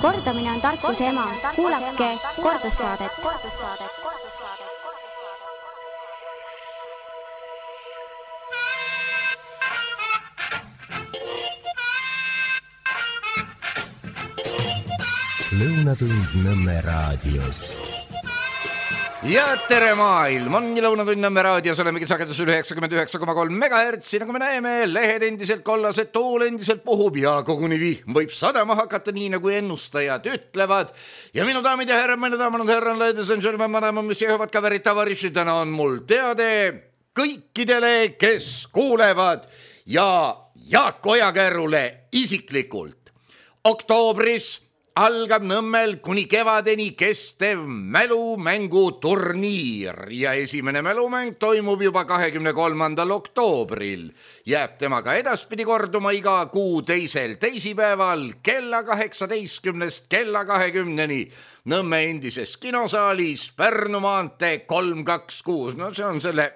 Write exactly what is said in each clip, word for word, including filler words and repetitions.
Kordamine on tarkuse ema. Kuulake kordussaadet. Lõunatund Nõmme raadios. Ja tere maailm, on Lõunatund Nõmme raadios, olemegi sagedusel üheksakümmend üheksa koma kolm megahertsi, nagu me näeme, lehed endiselt kollased, tuul endiselt puhub ja koguni vihm võib sadama hakata, nii nagu ennustajad ütlevad. Ja minu daamid ja härrad, minu daamad ja härrad, ladies and gentlemen, madame, mis jõuavad ka verid tavariši, täna on mul teade kõikidele, kes kuulevad ja Jaak Ojakärule isiklikult. Oktoobris algab Nõmmel kuni kevadeni kestev mälumänguturniir ja esimene mälumäng toimub juba kahekümne kolmandal oktoobril. Jääb temaga edaspidi korduma iga kuu teisel teisipäeval kella kaheksateistkümnest kella kahekümneni Nõmme endises kinosaalis Pärnu maantee kolm kaks kuus. No see on selle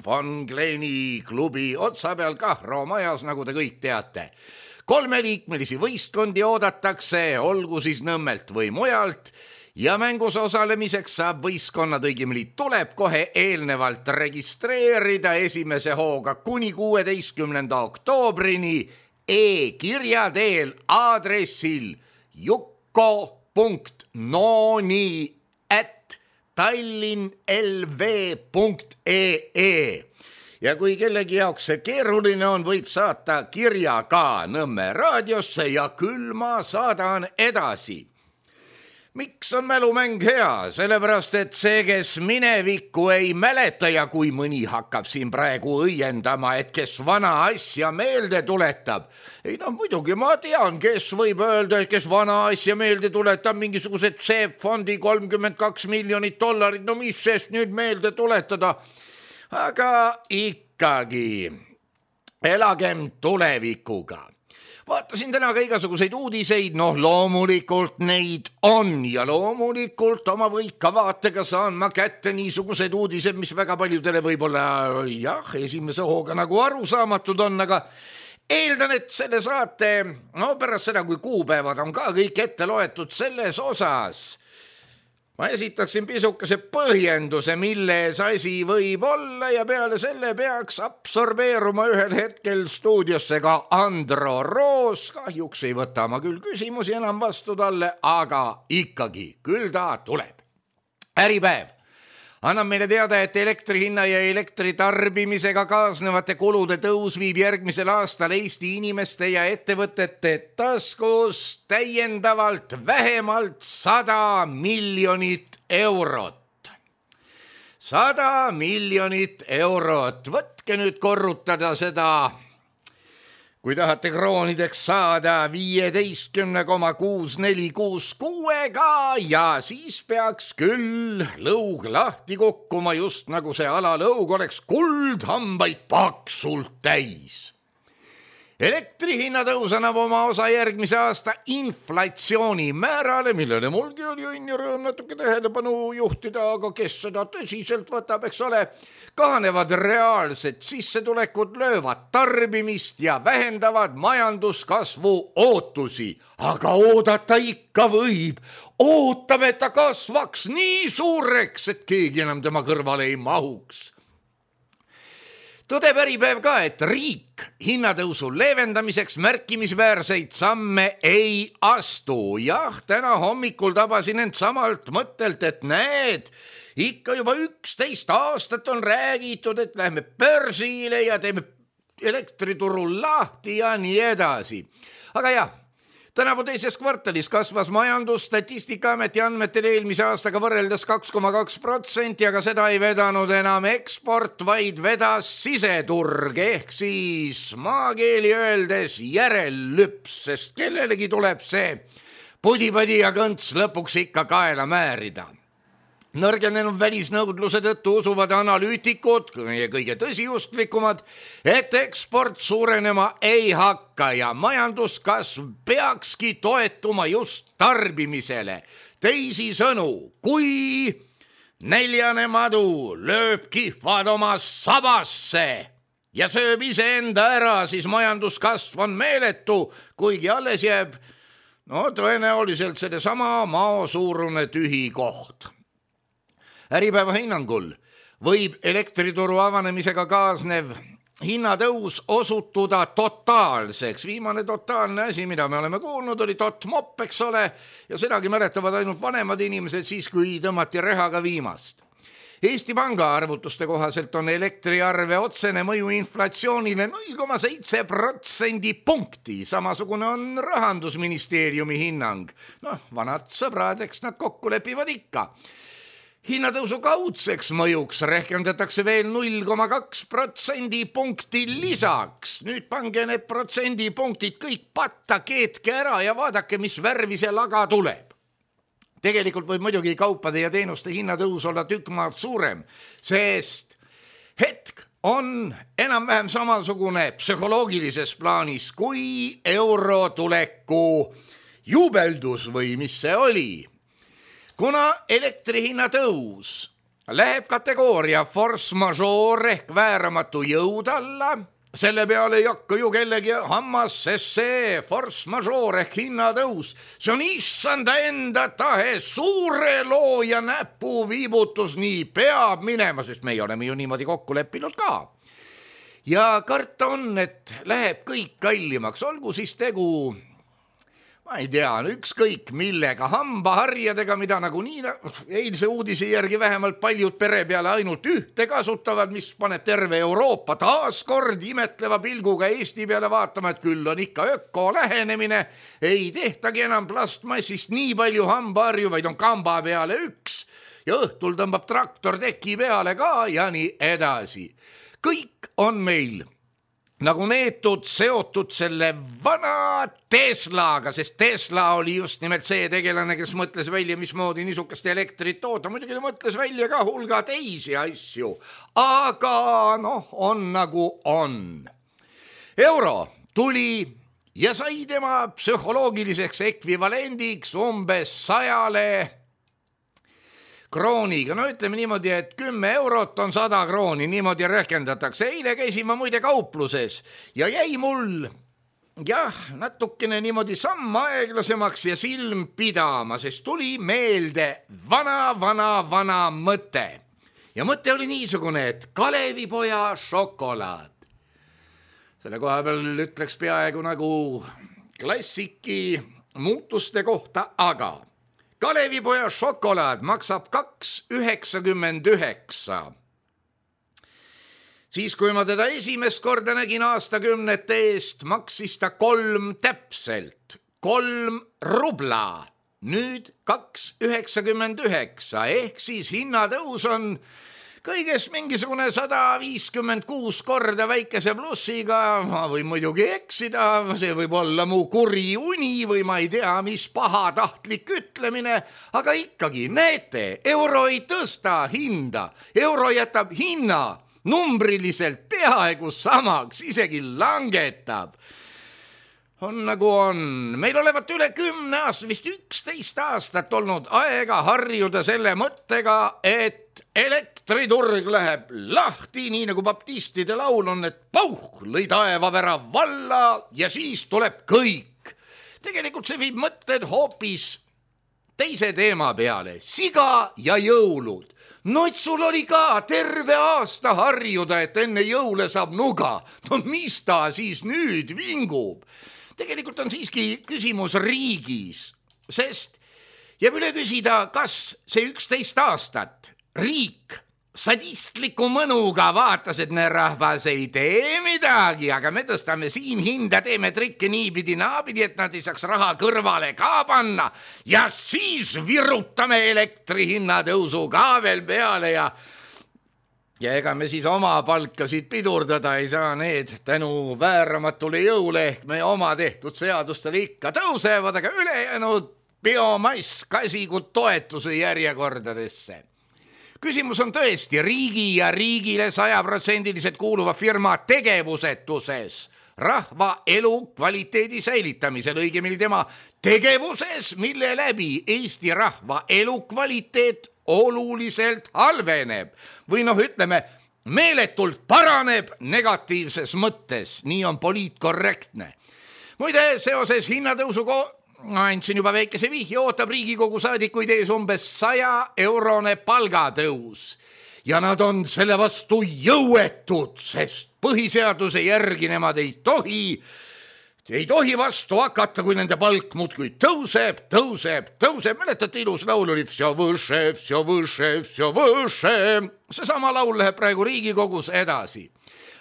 Von Kleeni klubi otsa peal Kahro majas, nagu te kõik teate. Kolmeliikmelisi võistkondi oodatakse, olgu siis Nõmmelt või mujalt, ja mängus osalemiseks saab võistkonnad, õigemini tuleb kohe eelnevalt registreerida esimese hooga kuni kuueteistkümnenda oktoobrini e-kirja teel aadressil jukko punkt nooni at tallinnlv punkt ee. Ja kui kellegi jaoks see keeruline on, võib saata kirja ka Nõmme raadiosse ja küll ma saadan edasi. Miks on mälumäng hea? Sellepärast, et see, kes minevikku ei mäleta ja kui mõni hakkab siin praegu õiendama, et kes vana asja meelde tuletab. Ei no muidugi ma tean, kes võib öelda, et kes vana asja meelde tuletab, mingisugused seepfondi kolmkümmend kaks miljonit dollarit, no mis sest nüüd meelde tuletada? Aga ikkagi elagem tulevikuga. Vaatasin täna ka igasuguseid uudiseid, noh loomulikult neid on ja loomulikult oma võika vaatega saan ma kätte niisugused uudised, mis väga paljudele võib-olla jah, esimese hooga nagu arusaamatud on, aga eeldan, et selle saate, no pärast seda, kui kuupäevad on ka kõik ette loetud selles osas, ma esitaksin pisukese põhjenduse, milles asi võib olla ja peale selle peaks absorbeeruma ühel hetkel stuudiosse ka Andro Roos. Kahjuks ei võta ma küll küsimusi enam vastu talle, aga ikkagi, küll ta tuleb. Äripäev annab meile teada, et elektrihinna ja elektritarbimisega kaasnevate kulude tõus viib järgmisel aastal Eesti inimeste ja ettevõtete taskus täiendavalt vähemalt sada miljonit eurot. Sada miljonit eurot. Võtke nüüd korrutada seda, kui tahate kroonideks saada viieteistkümne koma kuus neli kuus kuuega ja siis peaks küll lõug lahti kukkuma, just nagu see alalõug oleks kuldhambaid paksult täis. Elektrihinna tõus annab oma osa järgmise aasta inflatsiooni määrale, millele mulgi oli õnn ja rõõm natuke tähelepanu juhtida, aga kes seda tõsiselt võtab, eks ole, kahanevad reaalsed sissetulekud, löövad tarbimist ja vähendavad majanduskasvu ootusi. Aga oodata ikka võib. Ootame, et ta kasvaks nii suureks, et keegi enam tema kõrvale ei mahuks. Tõdeb Äripäev ka, et riik hinnatõusu leevendamiseks märkimisväärseid samme ei astu. Jah, täna hommikul tabasin end samalt mõttelt, et näed, ikka juba üksteist aastat on räägitud, et lähme börsile ja teeme elektriturul lahti ja nii edasi. Aga jah, tänavu teises kvartalis kasvas majandus Statistikaameti andmetel eelmise aastaga võrreldes kaks koma kaks protsenti, aga seda ei vedanud enam eksport, vaid vedas siseturg, ehk siis maakeeli öeldes järellüps, sest kellelegi tuleb see pudipadi ja kõnts lõpuks ikka kaela määrida. Nõrgenenud välisnõudluse tõttu usuvad analüütikud, meie kõige tõsiusklikumad, et eksport suurenema ei hakka ja majanduskasv peakski toetuma just tarbimisele. Teisisõnu, kui neljane madu lööb kihvad oma sabasse ja sööb iseenda ära, siis majanduskasv on meeletu, kuigi alles jääb No tõenäoliselt selle sama mao suurune tühi koht. Äripäeva hinnangul võib elektrituru avanemisega kaasnev hinnatõus osutuda totaalseks. Viimane totaalne asi, mida me oleme kuulnud, oli totmop, eks ole, ja sedagi mäletavad ainult vanemad inimesed siis, kui tõmmati rehaga viimast. Eesti Panga arvutuste kohaselt on elektriarve otsene mõju inflatsioonile null koma seitse protsendi punkti. Samasugune on Rahandusministeeriumi hinnang. Noh, vanad sõbrad, eks nad kokku lepivad ikka. Hinnatõusu kaudseks mõjuks rehkendatakse veel null koma kaks protsendi punkti lisaks. Nüüd pange need protsendipunktid kõik patta, keetke ära ja vaadake, mis värvi see laga tuleb. Tegelikult võib muidugi kaupade ja teenuste hinnatõus olla tükk maad suurem, sest hetk on enam-vähem samasugune psühholoogilises plaanis kui euro tuleku jubeldus või mis see oli. Kuna elektrihinna tõus läheb kategooria force majeure ehk vääramatu jõud alla, selle peale ei hakka ju kellegi hammas, sest see force majeure ehk hinnatõus, see on issanda enda tahe, suure looja näpu viibutus, nii peab minema, sest meie oleme ju niimoodi kokku leppinud ka. Ja karta on, et läheb kõik kallimaks, olgu siis tegu ma ei tea, ükskõik millega, hambaharjadega, mida nagu nii eilse uudise järgi vähemalt paljud pere peale ainult ühte kasutavad, mis paneb terve Euroopa taas kord imetleva pilguga Eesti peale vaatama, et küll on ikka öko lähenemine, ei tehtagi enam plastmassist nii palju hambaharju, vaid on kamba peale üks ja õhtul tõmbab traktor teki peale ka ja nii edasi. Kõik on meil nagu neetud seotud selle vana Teslaga, sest Tesla oli just nimelt see tegelane, kes mõtles välja, mismoodi niisugust elektrit toota. Muidugi ta mõtles välja ka hulga teisi asju, aga noh, on nagu on. Euro tuli ja sai tema psühholoogiliseks ekvivalendiks umbes sajale krooniga. No ütleme niimoodi, et kümme eurot on sada krooni, niimoodi rehkendatakse. Eile käisin ma muide kaupluses ja jäi mul jah, natukene niimoodi samm aeglasemaks ja silm pidama, sest tuli meelde vana, vana, vana mõte. Ja mõte oli niisugune, et Kalevipoja šokolaad. Selle koha peal ütleks peaaegu nagu klassiki muutuste kohta, aga Kalevipoja šokolaad maksab kaks üheksakümmend üheksa. Siis kui ma teda esimest korda nägin aastakümnete eest, maksis ta kolm täpselt, kolm rubla. Nüüd kaks üheksakümmend üheksa, ehk siis hinnatõus on kõiges mingisugune sada viiskümmend kuus korda väikese plussiga. Ma võin muidugi eksida, see võib olla mu kuri uni või ma ei tea, mis pahatahtlik ütlemine, aga ikkagi näete, euro ei tõsta hinda, euro jätab hinna numbriliselt peaaegu samaks, isegi langetab. On nagu on. Meil olevat üle kümne aasta, vist üksteist aastat olnud aega harjuda selle mõttega, et elektriturg läheb lahti, nii nagu baptistide laul on, et pauh, lõi taevavära valla ja siis tuleb kõik. Tegelikult see viib mõtted hoopis teise teema peale, siga ja jõulud. No et sul oli ka terve aasta harjuda, et enne jõule saab nuga. No mis ta siis nüüd vingub? Tegelikult on siiski küsimus riigis, sest jääb üle küsida, kas see üksteist aastat riik sadistliku mõnuga vaatas, et ne rahvas ei tee midagi, aga me tõstame siin hinda, teeme trikke niipidi naapidi, et nad ei saaks raha kõrvale ka panna ja siis virutame elektrihinna tõusu ka veel peale ja Ja ega me siis oma palkasid pidurdada ei saa, need tänu vääramatule jõule ehk me oma tehtud seadustele ikka tõusevad, aga ülejäänud biomass kasikud toetuse järjekordadesse. Küsimus on tõesti riigi ja riigile sajaprotsendiliselt kuuluva firma tegevusetuses, rahva elu kvaliteedi säilitamisel, õigemini tema tegevuses, mille läbi Eesti rahva elu kvaliteet oluliselt halveneb või noh, ütleme, meeletult paraneb negatiivses mõttes, nii on poliitkorrektne. Muide, seoses hinnatõusu andsin juba väikese vihje, ootab Riigikogu saadikuid ees umbes saja eurone palgatõus ja nad on selle vastu jõuetud, sest põhiseaduse järgi nemad ei tohi ei tohi vastu hakata, kui nende palk muudkui tõuseb, tõuseb, tõuseb. Mäletate, ilus laul oli Vsjo võše, vsjo võše, vsjo võše. Seesama laul läheb praegu Riigikogus edasi.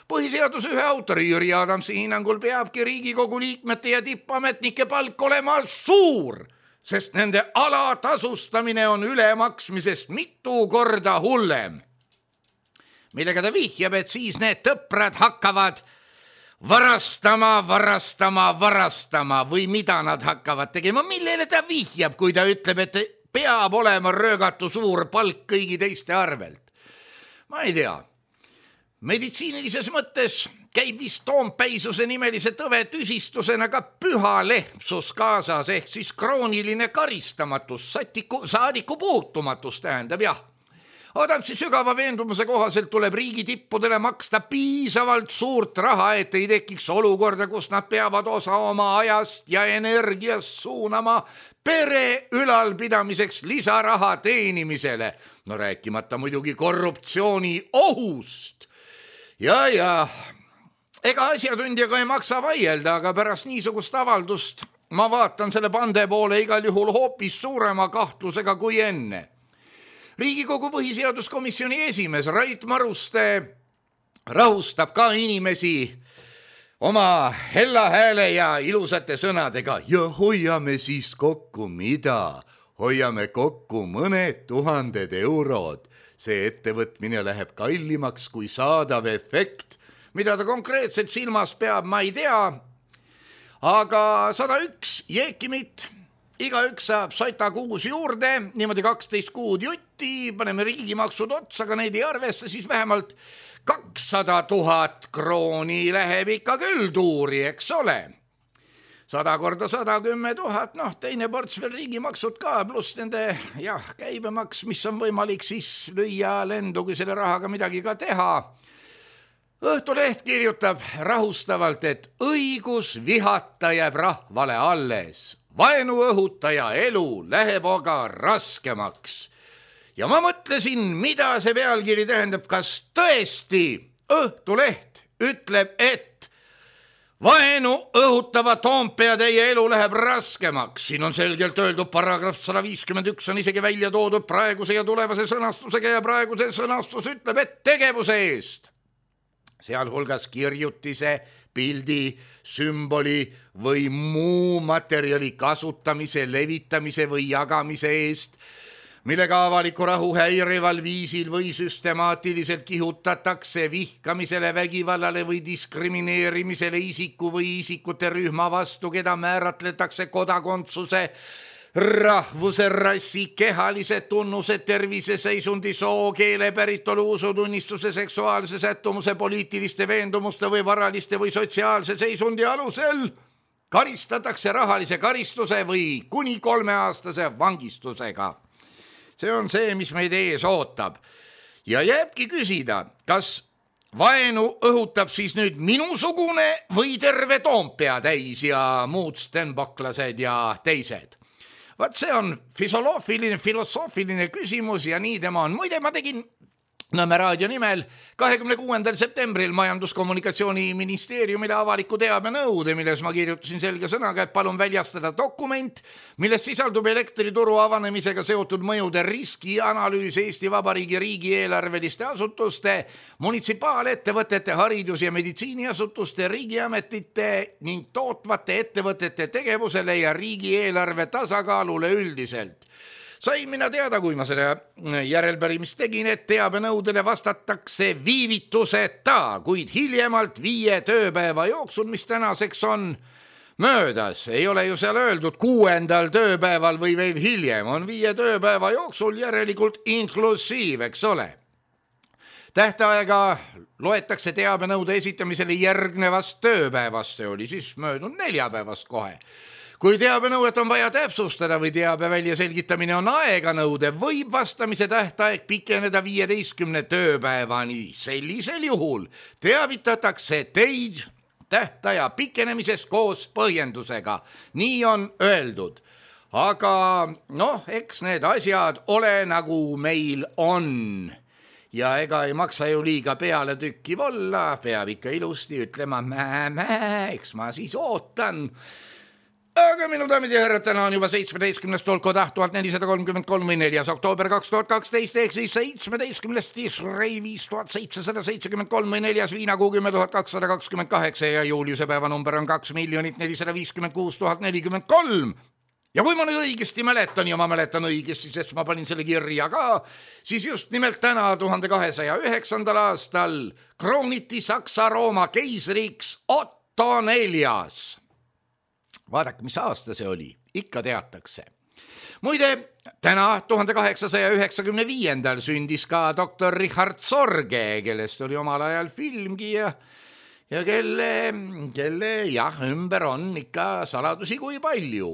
Põhiseaduse ühe autori Jüri Adamsi hinnangul peabki Riigikogu liikmete ja tippametnike palk olema suur, sest nende alatasustamine on ülemaksmisest mitu korda hullem. Millega ta vihjab, et siis need tõprad hakkavad varastama, varastama, varastama või mida nad hakkavad tegema, millele ta vihjab, kui ta ütleb, et peab olema röögatu suur palk kõigi teiste arvelt. Ma ei tea, meditsiinilises mõttes käib vist toompäisuse nimelise tõve tüsistusena ka püha lehmsus kaasas, ehk siis krooniline karistamatus, satiku, saadiku puutumatus tähendab jah. Adamsi sügava veendumuse kohaselt tuleb riigi tippudele maksta piisavalt suurt raha, et ei tekiks olukorda, kus nad peavad osa oma ajast ja energiast suunama pere ülalpidamiseks lisaraha teenimisele. No rääkimata muidugi korruptsiooni ohust. Ja, ja, ega asjatundjaga ei maksa vaielda, aga pärast niisugust avaldust ma vaatan selle pande poole igal juhul hoopis suurema kahtlusega kui enne. Riigikogu põhiseaduskomisjoni esimees Rait Maruste rahustab ka inimesi oma hella hääle ja ilusate sõnadega ja hoiame siis kokku mida? Hoiame kokku mõned tuhanded eurod. See ettevõtmine läheb kallimaks kui saadav efekt, mida ta konkreetselt silmas peab, ma ei tea, aga sada üks jeekimit. Iga üks saab sata kuus juurde, niimoodi kaksteist kuud jutti, paneme riigimaksud otsa, aga neid ei arvesta, siis vähemalt kakssada tuhat krooni läheb ikka küll tuuri, eks ole. Sada korda sada kümme tuhat, noh, teine ports veel riigimaksud ka, pluss nende jah, käibemaks, mis on võimalik siis lüüa lendu, kui selle rahaga midagi ka teha. Õhtuleht kirjutab rahustavalt, et õigus vihata jääb rahvale alles. Vaenu õhutaja elu läheb aga raskemaks. Ja ma mõtlesin, mida see pealkiri tähendab, kas tõesti Õhtuleht ütleb, et vaenu õhutava Toompea teie elu läheb raskemaks. Siin on selgelt öeldud, paragrahv sada viiskümmend üks on isegi välja toodud praeguse ja tulevase sõnastusega ja praeguse sõnastus ütleb, et tegevuse eest. Sealhulgas kirjutise, pildi, sümboli või muu materjali kasutamise, levitamise või jagamise eest, millega avaliku rahu häirival viisil või süstemaatiliselt kihutatakse vihkamisele, vägivallale või diskrimineerimisele isiku või isikute rühma vastu, keda määratletakse kodakondsuse, rahvuse, rassi, kehalise tunnuse, terviseseisundi, soo, keele, päritolu, usutunnistuse, seksuaalse sättumuse, poliitiliste veendumuste või varaliste või sotsiaalse seisundi alusel karistatakse rahalise karistuse või kuni kolmeaastase vangistusega. See on see, mis meid ees ootab. Ja jääbki küsida, kas vaenu õhutab siis nüüd minusugune või terve Toompea täis ja muud stenboklased ja teised. Vaat see on filosoofiline, filosoofiline küsimus ja nii tema on. Muide, ma tegin Nõmme raadio nimel kahekümne kuuendal septembril Majandus-Kommunikatsiooniministeeriumile avaliku teabe nõude, milles ma kirjutasin selge sõnaga, et palun väljastada dokument, milles sisaldub elektrituru avanemisega seotud mõjude riskianalüüs Eesti Vabariigi riigieelarveliste asutuste, munitsipaalettevõtete, haridus- ja meditsiiniasutuste, riigiametite ning tootvate ettevõtete tegevusele ja riigieelarve tasakaalule üldiselt. Sain mina teada, kui ma selle järelpärimist tegin, et teabenõudele vastatakse viivituseta, kuid hiljemalt viie tööpäeva jooksul, mis tänaseks on möödas. Ei ole ju seal öeldud kuuendal tööpäeval või veel hiljem, on viie tööpäeva jooksul järelikult inklusiiv, eks ole. Tähtaega loetakse teabenõude esitamisele järgnevast tööpäevast, see oli siis möödunud neljapäevast kohe. Kui teabenõuet on vaja täpsustada või teabe välja selgitamine on aeganõude, võib vastamise tähtaeg pikeneda viieteistkümne tööpäevani. Sellisel juhul teavitatakse teid tähtaja pikenemisest koos põhjendusega. Nii on öeldud. Aga noh, eks need asjad ole nagu meil on. Ja ega ei maksa ju liiga peale tükkiv olla, peab ikka ilusti ütlema mää, mää, eks ma siis ootan. Aga minu daamid ja härrad, täna on juba seitsmeteistkümnest tolkotaht tuhat nelisada kolmkümmend kolm või neljas oktoober kaks tuhat kaksteist ehk siis seitsmeteistkümnest Tishrei viis tuhat seitsesada seitsekümmend kolm või neljas viinakuu kümme tuhat kakssada kakskümmend kaheksa ja juuliuse päeva number on kaks miljonit nelisada viiskümmend kuus tuhat nelikümmend kolm. Ja kui ma nüüd õigesti mäletan ja ma mäletan õigesti, sest ma panin selle kirja ka, siis just nimelt täna tuhande kahesaja üheksandal aastal krooniti Saksa-Rooma keisriks Otto neljas. Vaadake, mis aasta see oli, ikka teatakse. Muide, täna tuhande kaheksasaja üheksakümne viiendal sündis ka doktor Richard Sorge, kellest oli omal ajal filmgi ja, ja kelle, kelle jah, ümber on ikka saladusi kui palju.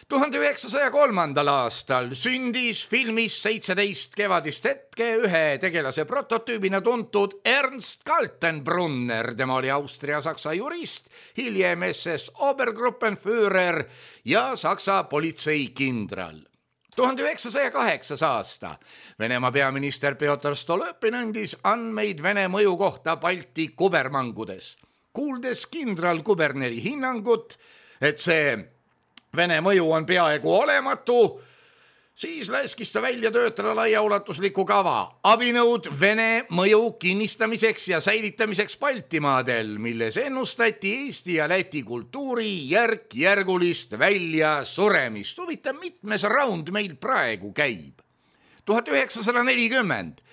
tuhande üheksasaja kolmandal aastal sündis filmis seitseteist kevadist hetke ühe tegelase prototüübina tuntud Ernst Kaltenbrunner. Tema oli Austria-Saksa jurist, hiljem S S Obergruppenführer ja Saksa politseikindral. tuhande üheksasaja kaheksas aasta Venemaa peaminister Pjotr Stolypin andis andmeid Vene mõju kohta Balti kubermangudes. Kuuldes kindral kuberneri hinnangut, et see Vene mõju on peaaegu olematu, siis läskis ta välja töötada laiaulatusliku kava abinõud Vene mõju kinnistamiseks ja säilitamiseks Baltimaadel, milles ennustati Eesti ja Läti kultuuri järk-järgulist välja suremist. Huvitav, mitmes raund meil praegu käib. tuhat üheksasada nelikümmend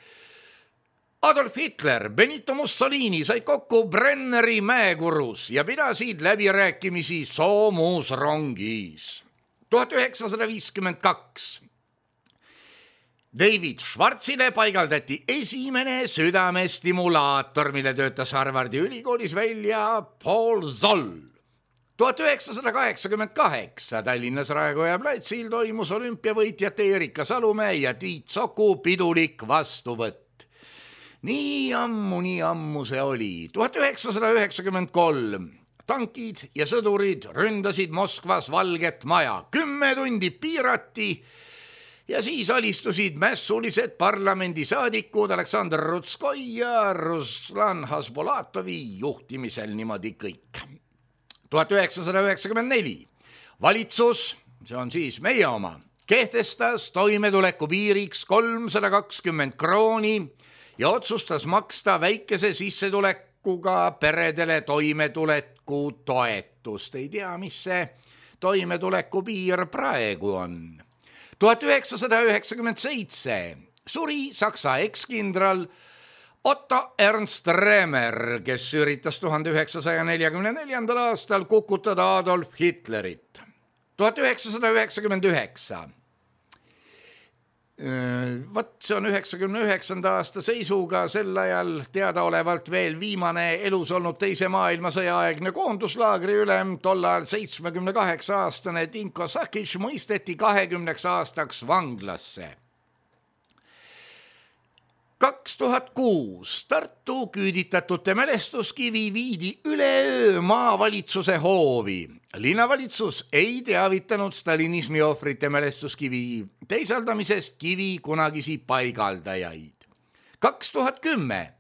Adolf Hitler, Benito Mussolini said kokku Brenneri mäekurus ja pidasid läbirääkimisi soomusrongis. tuhat üheksasada viiskümmend kaks David Schwarzile paigaldati esimene südamestimulaator, mille töötas Harvardi ülikoolis välja Paul Zoll. tuhat üheksasada kaheksakümmend kaheksa Tallinnas Raekoja platsil toimus olümpiavõitjate Erika Salumäe ja Tiit Soku pidulik vastuvõtt. Nii ammu, nii ammu see oli. tuhat üheksasada üheksakümmend kolm Tankid ja sõdurid ründasid Moskvas Valget Maja. Kümme tundi piirati ja siis alistusid mässulised parlamendisaadikud Aleksandr Rutskoi ja Ruslan Hasbolatovi juhtimisel niimoodi kõik. tuhat üheksasada üheksakümmend neli Valitsus, see on siis meie oma, kehtestas toimetuleku piiriks kolmsada kakskümmend krooni ja otsustas maksta väikese sissetulekuga peredele toimetuleku toetust. Ei tea, mis see toimetuleku piir praegu on. tuhat üheksasada üheksakümmend seitse suri Saksa ekskindral Otto Ernst Remer, kes üritas tuhande üheksasaja neljakümne neljandal aastal kukutada Adolf Hitlerit. tuhat üheksasada üheksakümmend üheksa Vat see on üheksakümne üheksanda aasta seisuga sel ajal teadaolevalt veel viimane elus olnud teise maailmasõja aegne koonduslaagri ülem, tollal seitsmekümne kaheksa aastane Dinko Sakic mõisteti kahekümneks aastaks vanglasse. kaks tuhat kuus Tartu küüditatute mälestuskivi viidi üleöö maavalitsuse hoovi. Linnavalitsus ei teavitanud stalinismi ohvrite mälestuskivi teisaldamisest kivi kunagisi paigaldajaid. kaks tuhat kümme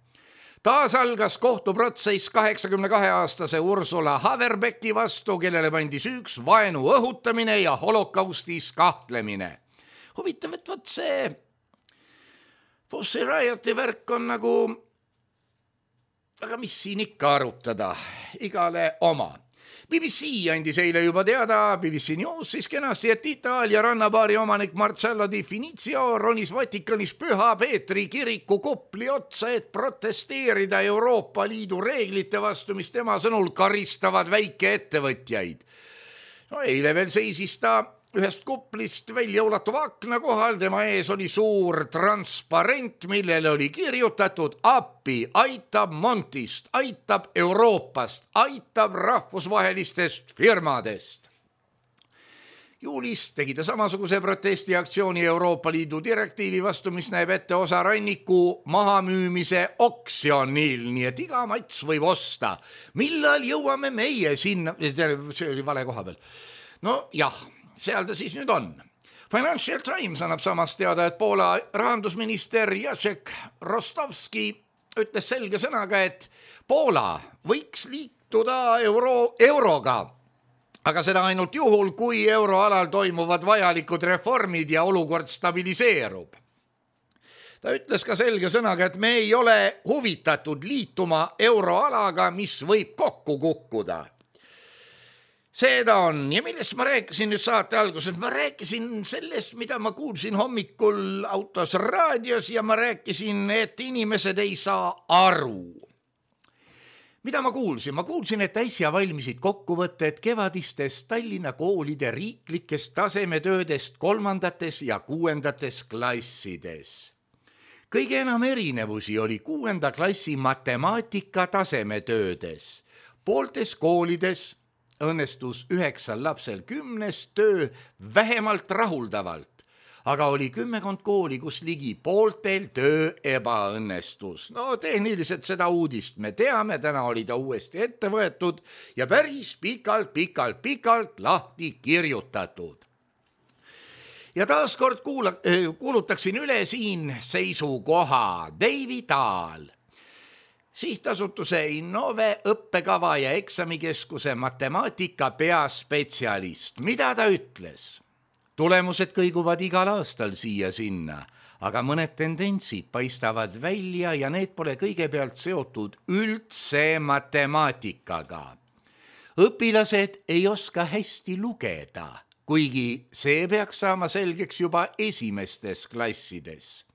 taas algas kohtuprotsess kaheksakümne kahe aastase Ursula Haverbecki vastu, kellele pandi süüks vaenu õhutamine ja holokaustis kahtlemine. Huvitav, et võt see Pussy Rioti värk on nagu, aga mis siin ikka arutada, igale oma. B B C andis eile juba teada, B B C News siis kenasti, et Itaalia rannabaari omanik Marcello Di Finizio ronis Vatikanis Püha Peetri kiriku kupli otsa, et protesteerida Euroopa Liidu reeglite vastu, mis tema sõnul karistavad väikeettevõtjaid. No eile veel seisis ta ühest kuplist välja ulatuva akna kohal, tema ees oli suur transparent, millele oli kirjutatud appi, aitab Montist, aitab Euroopast, aitab rahvusvahelistest firmadest. Juulis tegi ta samasuguse protestiaktsiooni Euroopa Liidu direktiivi vastu, mis näeb ette osa ranniku mahamüümise oksjonil, nii et iga mats võib osta. Millal jõuame meie sinna? See oli vale koha peal. No jah, seal ta siis nüüd on. Financial Times annab samas teada, et Poola rahandusminister Jacek Rostovski ütles selge sõnaga, et Poola võiks liituda euro, euroga, aga seda ainult juhul, kui euroalal toimuvad vajalikud reformid ja olukord stabiliseerub. Ta ütles ka selge sõnaga, et me ei ole huvitatud liituma euroalaga, mis võib kokku kukkuda. Seda on. Ja millest ma rääkisin nüüd saate alguses? Ma rääkisin sellest, mida ma kuulsin hommikul autos raadios ja ma rääkisin, et inimesed ei saa aru. Mida ma kuulsin? Ma kuulsin, et äsja valmisid kokkuvõtted kevadistest Tallinna koolide riiklikest tasemetöödest kolmandates ja kuuendates klassides. Kõige enam erinevusi oli kuuenda klassi matemaatika tasemetöödes. Pooltes koolides õnnestus üheksal lapsel kümnes töö vähemalt rahuldavalt. Aga oli kümmekond kooli, kus ligi pooltel töö ebaõnnestus. No tehniliselt seda uudist me teame, täna oli ta uuesti ette võetud ja päris pikalt, pikalt, pikalt lahti kirjutatud. Ja taaskord kuula, kuulutaksin üle siin seisukoha. David Dahl, sihtasutuse Innove õppekava ja eksamikeskuse matemaatika peaspetsialist. Mida ta ütles? Tulemused kõiguvad igal aastal siia sinna, aga mõned tendentsid paistavad välja ja need pole kõigepealt seotud üldse matemaatikaga. Õpilased ei oska hästi lugeda, kuigi see peaks saama selgeks juba esimestes klassides.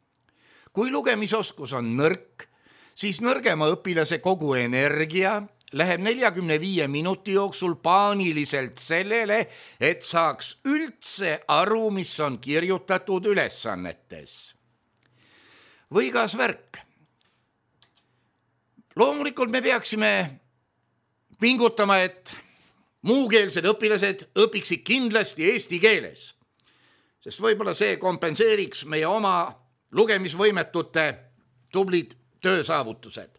Kui lugemisoskus on nõrk, siis nõrgema õpilase kogu energia läheb neljakümne viie minuti jooksul paaniliselt sellele, et saaks üldse aru, mis on kirjutatud ülesannetes. Või kas värk? Loomulikult me peaksime pingutama, et muukeelsed õpilased õpiksid kindlasti eesti keeles, sest võib-olla see kompenseeriks meie oma lugemisvõimetute tublid töösaavutused.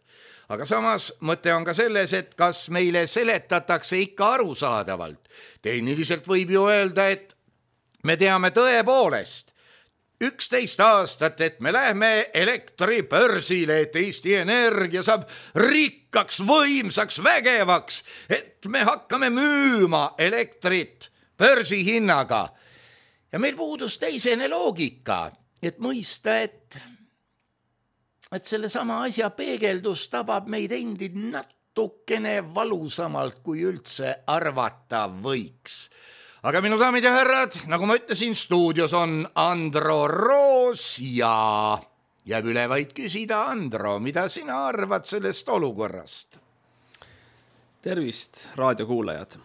Aga samas mõte on ka selles, et kas meile seletatakse ikka arusaadavalt. Tehniliselt võib ju öelda, et me teame tõepoolest üksteist aastat, et me lähme elektribörsile, et Eesti Energia saab rikkaks, võimsaks, vägevaks, et me hakkame müüma elektrit börsihinnaga. Ja meil puudus teisene loogika, et mõista, et et selle sama asja peegeldus tabab meid endid natukene valusamalt, kui üldse arvata võiks. Aga minu daamid ja härrad, nagu ma ütlesin, stuudios on Andro Roos ja jääb üle vaid küsida, Andro, mida sina arvad sellest olukorrast? Tervist, raadiokuulajad!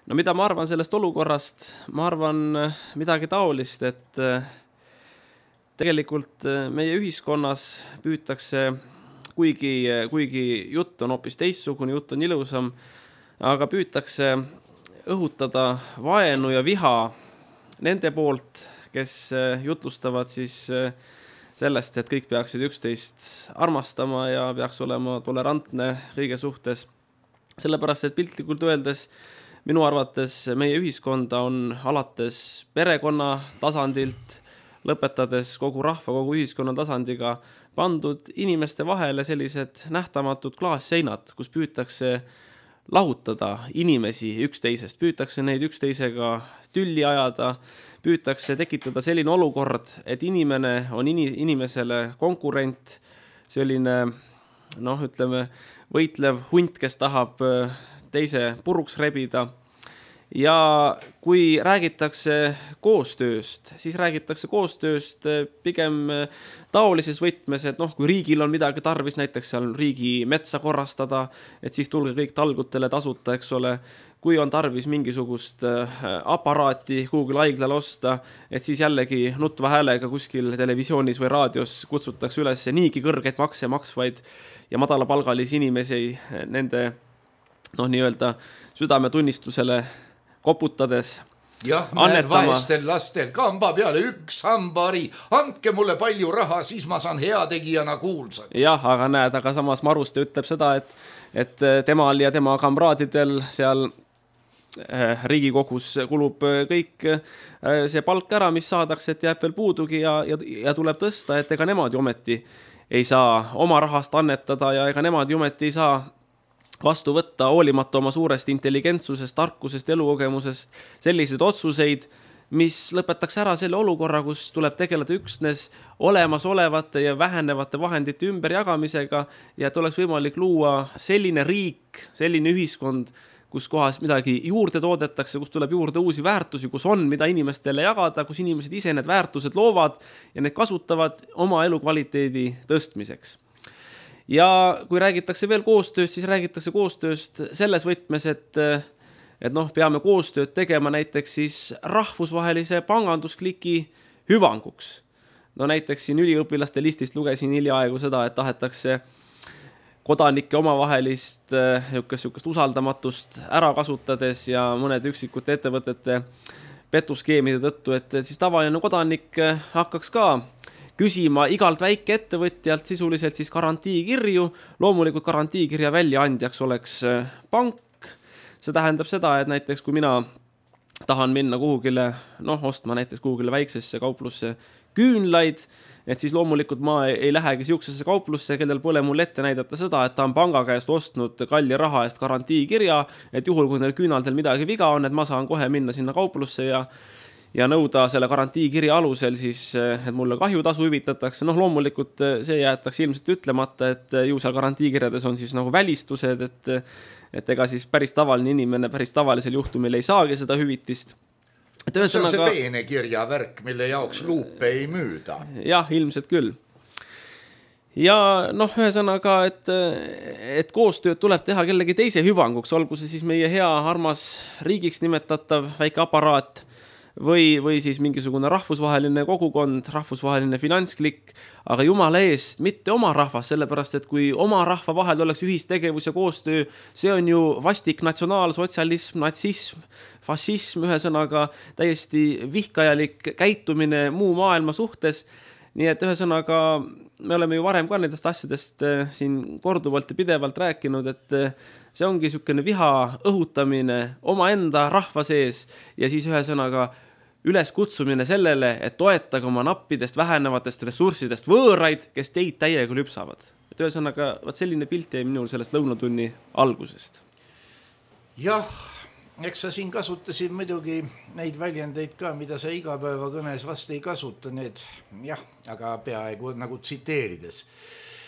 No mida ma arvan sellest olukorrast? Ma arvan midagi taolist, et tegelikult meie ühiskonnas püütakse, kuigi, kuigi jutt on hoopis teistsugune, jutt on ilusam, aga püütakse õhutada vaenu ja viha nende poolt, kes jutlustavad siis sellest, et kõik peaksid üksteist armastama ja peaks olema tolerantne kõige suhtes. Sellepärast, et piltlikult öeldes minu arvates meie ühiskonda on alates perekonna tasandilt lõpetades kogu rahva, kogu ühiskonna tasandiga pandud inimeste vahele sellised nähtamatud klaasseinad, kus püütakse lahutada inimesi üksteisest, püütakse neid üksteisega tülli ajada, püütakse tekitada selline olukord, et inimene on inimesele konkurent, selline, noh, ütleme, võitlev hunt, kes tahab teise puruks rebida. Ja kui räägitakse koostööst, siis räägitakse koostööst pigem taolises võtmes, et noh, kui riigil on midagi tarvis, näiteks seal riigi metsa korrastada, et siis tulge kõik talgutele tasuta, eks ole. Kui on tarvis mingisugust aparaati Google haiglal osta, et siis jällegi nutva häälega kuskil televisioonis või raadios kutsutakse üles niigi kõrgeid makse maksvaid ja madalapalgalisi inimesi nende, noh, nii-öelda südametunnistusele koputades. jah, näed vaestel lastel kamba peale üks hambari, andke mulle palju raha, siis ma saan heategijana kuulsaks. jah, aga näed, aga samas Maruste ütleb seda, et, et temal ja tema kamraadidel seal Riigikogus kulub kõik see palk ära, mis saadakse, et jääb veel puudugi ja, ja, ja tuleb tõsta, et ega nemad ju ometi ei saa oma rahast annetada ja ega nemad ju ometi ei saa vastu võtta hoolimata oma suurest intelligentsusest, tarkusest, elukogemusest selliseid otsuseid, mis lõpetaks ära selle olukorra, kus tuleb tegeleda üksnes olemasolevate ja vähenevate vahendite ümberjagamisega ja et oleks võimalik luua selline riik, selline ühiskond, kus kohas midagi juurde toodetakse, kus tuleb juurde uusi väärtusi, kus on, mida inimestele jagada, kus inimesed ise need väärtused loovad ja need kasutavad oma elukvaliteedi tõstmiseks. Ja kui räägitakse veel koostööst, siis räägitakse koostööst selles võtmes, et, et noh, peame koostööd tegema näiteks siis rahvusvahelise panganduskliki hüvanguks. No näiteks siin üliõpilaste listist lugesin hiljaaegu seda, et tahetakse kodanike omavahelist niisugust usaldamatust ära kasutades ja mõnede üksikute ettevõtete petuskeemide tõttu, et siis tavaline kodanik hakkaks ka küsima igalt väike ettevõtjalt sisuliselt siis garantiikirju. Loomulikult garantiikirja väljaandjaks oleks pank. See tähendab seda, et näiteks kui mina tahan minna kuhugile, noh, ostma näiteks kuhugile väiksesse kauplusse küünlaid, et siis loomulikult ma ei lähegi siuksesse kauplusse, kellel pole mul ette näidata seda, et ta on panga käest ostnud kalli raha eest garantiikirja, et juhul kui neil küünaldel midagi viga on, et ma saan kohe minna sinna kauplusse ja, ja nõuda selle garantiikirja alusel siis, et mulle kahjutasu hüvitatakse. Noh, loomulikult see jäetakse ilmselt ütlemata, et ju seal garantiikirjades on siis nagu välistused, et, et ega siis päris tavaline inimene päris tavalisel juhtumil ei saagi seda hüvitist. See on see peene kirjavärk, mille jaoks luupe ei müüda. Jah, ilmselt küll. Ja noh, ühesõnaga, et, et koostööd tuleb teha kellegi teise hüvanguks, olgu see siis meie hea armas riigiks nimetatav väike aparaat või, või siis mingisugune rahvusvaheline kogukond, rahvusvaheline finantsklikk, aga jumala eest, mitte oma rahvas, sellepärast, et kui oma rahva vahel oleks ühistegevus ja koostöö, see on ju vastik natsionaalsotsialism, natsism, fašism, ühesõnaga täiesti vihkajalik käitumine muu maailma suhtes. Nii et ühesõnaga me oleme ju varem ka nendest asjadest siin korduvalt ja pidevalt rääkinud, et see ongi niisugune viha õhutamine oma enda rahva sees ja siis ühesõnaga üles kutsumine sellele, et toetage oma nappidest vähenevatest ressurssidest võõraid, kes teid täiega lüpsavad. Et ühesõnaga, vaat selline pilt jäi minul sellest lõunatunni algusest. Jah, eks sa siin kasutasid muidugi neid väljendeid ka, mida sa igapäevakõnes vast ei kasuta, need jah, aga peaaegu nagu tsiteerides.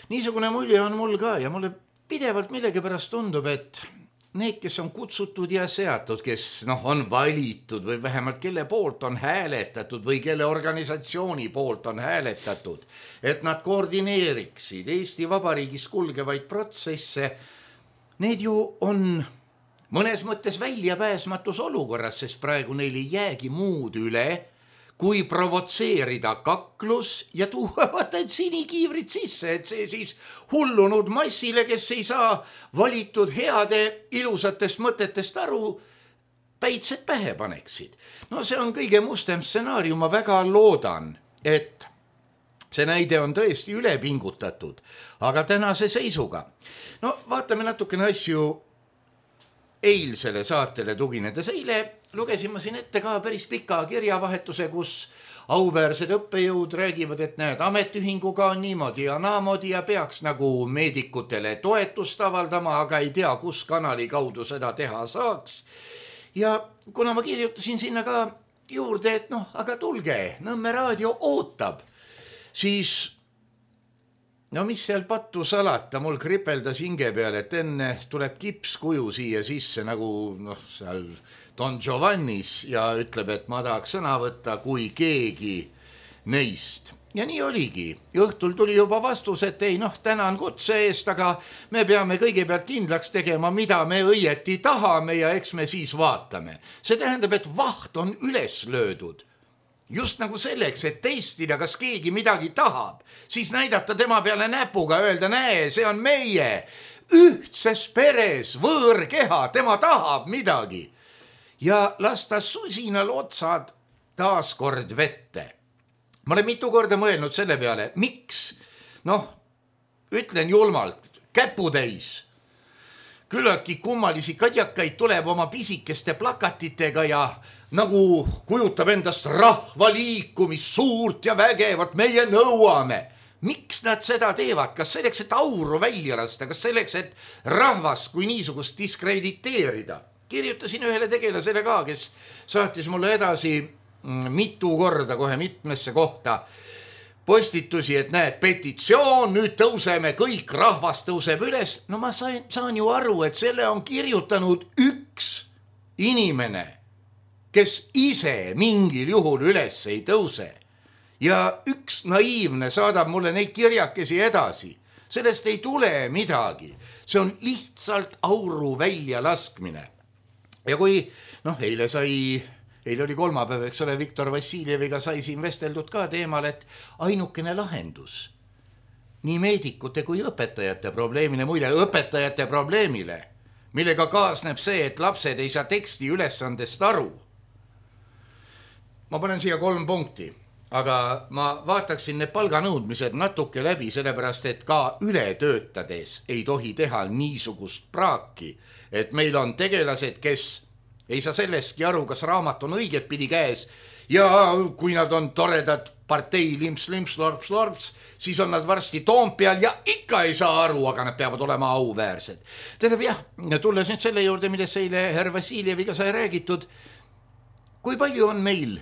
Niisugune mulje on mul ka ja mulle pidevalt millegipärast tundub, et need, kes on kutsutud ja seatud, kes noh, on valitud või vähemalt kelle poolt on hääletatud või kelle organisatsiooni poolt on hääletatud, et nad koordineeriksid Eesti Vabariigis kulgevaid protsesse, need ju on mõnes mõttes väljapääsmatus olukorras, sest praegu neil ei jäägi muud üle, kui provotseerida kaklus ja tuua vaata, et sinikiivrid sisse, et see siis hullunud massile, kes ei saa valitud heade ilusatest mõtetest aru, päitsed pähe paneksid. No see on kõige mustem stsenaarium, ma väga loodan, et see näide on tõesti üle pingutatud, aga tänase seisuga. No vaatame natukene asju eilsele saatele tuginedes. Eile lugesin ma siin ette ka päris pika kirjavahetuse, kus auväärsed õppejõud räägivad, et näed, ametiühinguga on niimoodi ja naamodi ja peaks nagu meedikutele toetust avaldama, aga ei tea, kus kanali kaudu seda teha saaks. Ja kuna ma kirjutasin sinna ka juurde, et noh, aga tulge, Nõmme raadio ootab, siis no mis seal pattu salata, mul kripeldas hinge peal, et enne tuleb kipskuju siia sisse nagu noh, seal Don Giovannis ja ütleb, et ma tahaks sõna võtta kui keegi neist. Ja nii oligi. Õhtul tuli juba vastus, et ei noh, tänan kutse eest, aga me peame kõigepealt kindlaks tegema, mida me õieti tahame ja eks me siis vaatame. See tähendab, et vaht on üles löödud. Just nagu selleks, et testida, kas keegi midagi tahab, siis näidata tema peale näpuga, öelda, näe, see on meie ühtses peres võõrkeha, tema tahab midagi. ja lasta susinal otsad taaskord vette. Ma olen mitu korda mõelnud selle peale, miks, noh, ütlen julmalt, käputäis. Küllaltki kummalisi kadjakaid tuleb oma pisikeste plakatitega ja nagu kujutab endast rahvaliikumist suurt ja vägevat, meie nõuame. Miks nad seda teevad? Kas selleks, et auru välja lasta? Kas selleks, et rahvast kui niisugust diskrediteerida? Kirjutasin ühele tegelasele ka, kes saatis mulle edasi mitu korda kohe mitmesse kohta postitusi, et näed, petitsioon, nüüd tõuseme, kõik rahvas tõuseb üles. No ma saan, saan ju aru, et selle on kirjutanud üks inimene, kes ise mingil juhul üles ei tõuse. Ja üks naiivne saadab mulle neid kirjakesi edasi. Sellest ei tule midagi. See on lihtsalt auru välja laskmine. Ja kui, noh, eile sai... Eile oli kolmapäev, eks ole, Viktor Vassiljeviga sai siin vesteldud ka teemal, et ainukene lahendus nii meedikute kui õpetajate probleemile, muide õpetajate probleemile, millega kaasneb see, et lapsed ei saa teksti ülesandest aru. Ma panen siia kolm punkti, aga ma vaataksin need palganõudmised natuke läbi, sellepärast, et ka üle töötades ei tohi teha niisugust praaki, et meil on tegelased, kes ei saa sellestki aru, kas raamat on õiget pidi käes ja kui nad on toredad partei limps, limps, lorps, lorps, siis on nad varsti Toompeal ja ikka ei saa aru, aga nad peavad olema auväärsed. Tähendab jah, tulles nüüd selle juurde, millest eile herr Vassiljeviga sai räägitud, kui palju on meil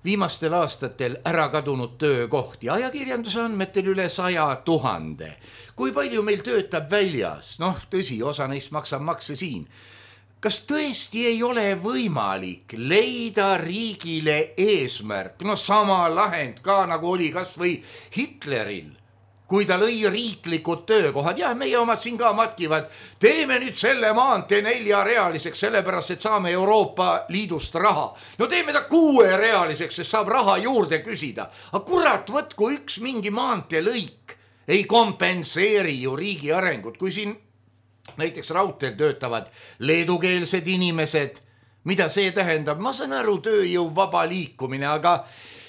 viimastel aastatel ära kadunud töökohti, ajakirjanduse andmetel üle saja tuhande. Kui palju meil töötab väljas, noh tõsi, osa neist maksab makse siin. Kas tõesti ei ole võimalik leida riigile eesmärk, no sama lahend ka nagu oli kas või Hitleril, kui ta lõi riiklikud töökohad, jah, meie omad siin ka matkivad, teeme nüüd selle maantee neljarealiseks, sellepärast, et saame Euroopa Liidust raha. No teeme ta kuuerealiseks, sest saab raha juurde küsida. Aga kurat, võtku üks mingi maantee lõik ei kompenseeri ju riigi arengut, kui siin näiteks raudteel töötavad leedukeelsed inimesed, mida see tähendab? Ma saan aru, tööjõu vaba liikumine, aga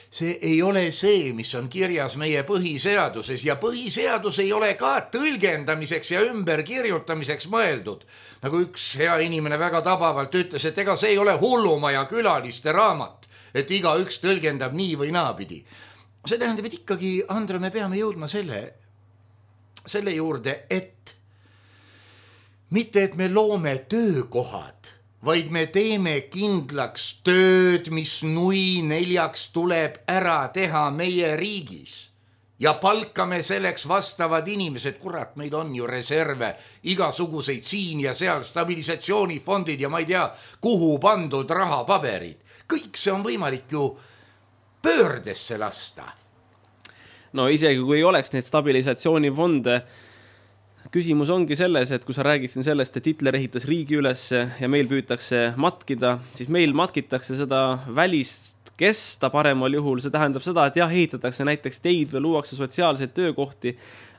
see ei ole see, mis on kirjas meie põhiseaduses ja põhiseadus ei ole ka tõlgendamiseks ja ümberkirjutamiseks mõeldud. Nagu üks hea inimene väga tabavalt ütles, et ega see ei ole hullumaja külaliste raamat, et iga üks tõlgendab nii või naapidi. See tähendab, et ikkagi, Andra, me peame jõudma selle, selle juurde, et mitte, et me loome töökohad, vaid me teeme kindlaks tööd, mis nui neljaks tuleb ära teha meie riigis. Ja palkame selleks vastavad inimesed, kurat, meil on ju reserve, igasuguseid siin ja seal stabilisatsioonifondid ja ma ei tea, kuhu pandud rahapaberid. Kõik see on võimalik ju pöördesse lasta. No isegi kui oleks neid stabilisatsioonifonde, küsimus ongi selles, et kui sa räägid siin sellest, et Hitler ehitas riigi üles ja meil püütakse matkida, siis meil matkitakse seda välist kesta paremal juhul. See tähendab seda, et jah, ehitatakse näiteks teid või luuakse sotsiaalseid töökohti,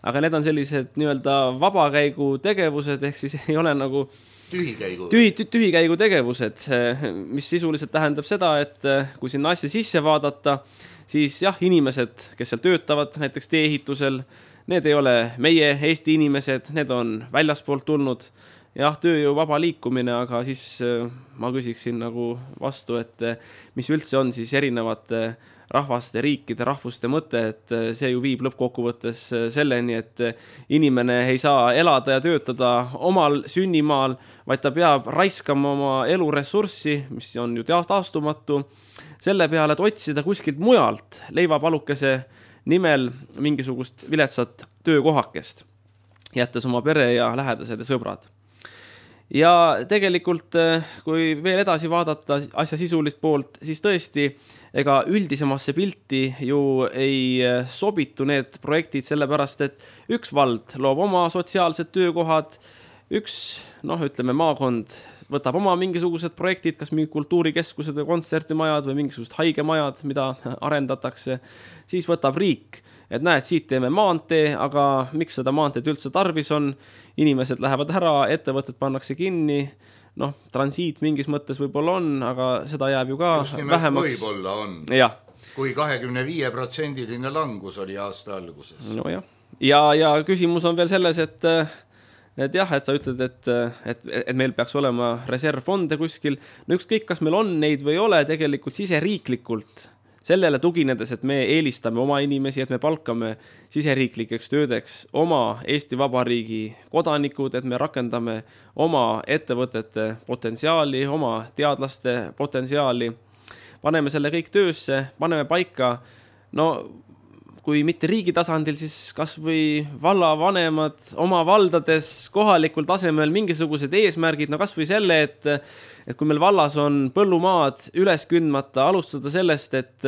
aga need on sellised nii-öelda vabakäigu tegevused, ehk siis ei ole nagu tühikäigu. Tühi, tühikäigu tegevused, mis sisuliselt tähendab seda, et kui sinna asja sisse vaadata, siis jah, inimesed, kes seal töötavad näiteks tee-ehitusel, need ei ole meie Eesti inimesed, need on väljaspoolt tulnud. Jah, tööjõu vaba liikumine, aga siis ma küsiksin nagu vastu, et mis üldse on siis erinevate rahvaste, riikide, rahvuste mõte, et see ju viib lõppkokkuvõttes selleni, et inimene ei saa elada ja töötada omal sünnimaal, vaid ta peab raiskama oma eluressurssi, mis on ju taastumatu, selle peale, et otsida kuskilt mujalt leivapalukese nimel mingisugust viletsat töökohakest, jättes oma pere ja lähedased ja sõbrad. Ja tegelikult, kui veel edasi vaadata asja sisulist poolt, siis tõesti, ega üldisemasse pilti ju ei sobitu need projektid, sellepärast, et üks vald loob oma sotsiaalsed töökohad, üks, noh, ütleme, maakond võtab oma mingisugused projektid, kas mingi kultuurikeskused või kontsertimajad või mingisugused haigemajad, mida arendatakse, siis võtab riik, et näed, siit teeme maantee, aga miks seda maanteed üldse tarvis on, inimesed lähevad ära, ettevõtted pannakse kinni, noh, transiit mingis mõttes võib-olla on, aga seda jääb ju ka vähemaks. Võib-olla on, ja. kui kahekümne viie protsendiline langus oli aasta alguses. No jah. Ja, ja küsimus on veel selles, et, et jah, et sa ütled, et, et, et meil peaks olema reservfonde kuskil. No ükskõik, kas meil on neid või ei ole, tegelikult siseriiklikult sellele tuginedes, et me eelistame oma inimesi, et me palkame siseriiklikeks töödeks oma Eesti Vabariigi kodanikud, et me rakendame oma ettevõtete potentsiaali, oma teadlaste potentsiaali, paneme selle kõik töösse, paneme paika, no kui mitte riigi tasandil, siis kas või vallavanemad oma valdades kohalikul tasemel mingisugused eesmärgid, no kas või selle, et et kui meil vallas on põllumaad üles kündmata, alustada sellest, et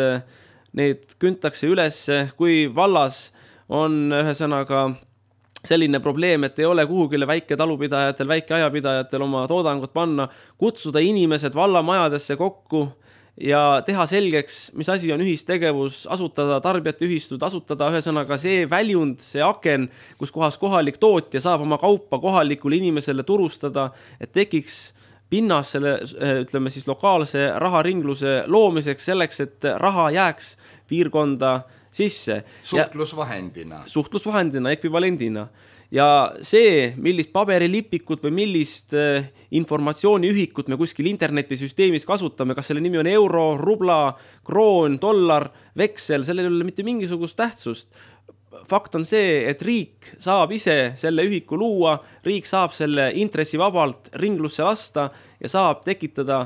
need küntakse üles, kui vallas on ühesõnaga selline probleem, et ei ole kuhugile väike talupidajatel, väike ajapidajatel oma toodangut panna, kutsuda inimesed vallamajadesse kokku ja teha selgeks, mis asi on ühistegevus, asutada tarbijate ühistud, asutada ühesõnaga see väljund, see aken, kus kohas kohalik tootja saab oma kaupa kohalikule inimesele turustada, et tekiks pinnas selle, ütleme siis lokaalse raharingluse loomiseks selleks, et raha jääks piirkonda sisse. Suhtlusvahendina. Ja, suhtlusvahendina, ekvivalendina. Ja see, millist paberilipikut või millist informatsiooniühikut me kuskil internetisüsteemis kasutame, kas selle nimi on euro, rubla, kroon, dollar, veksel, sellel ei ole mitte mingisugust tähtsust. Fakt on see, et riik saab ise selle ühiku luua, riik saab selle intressivabalt ringlusse lasta ja saab tekitada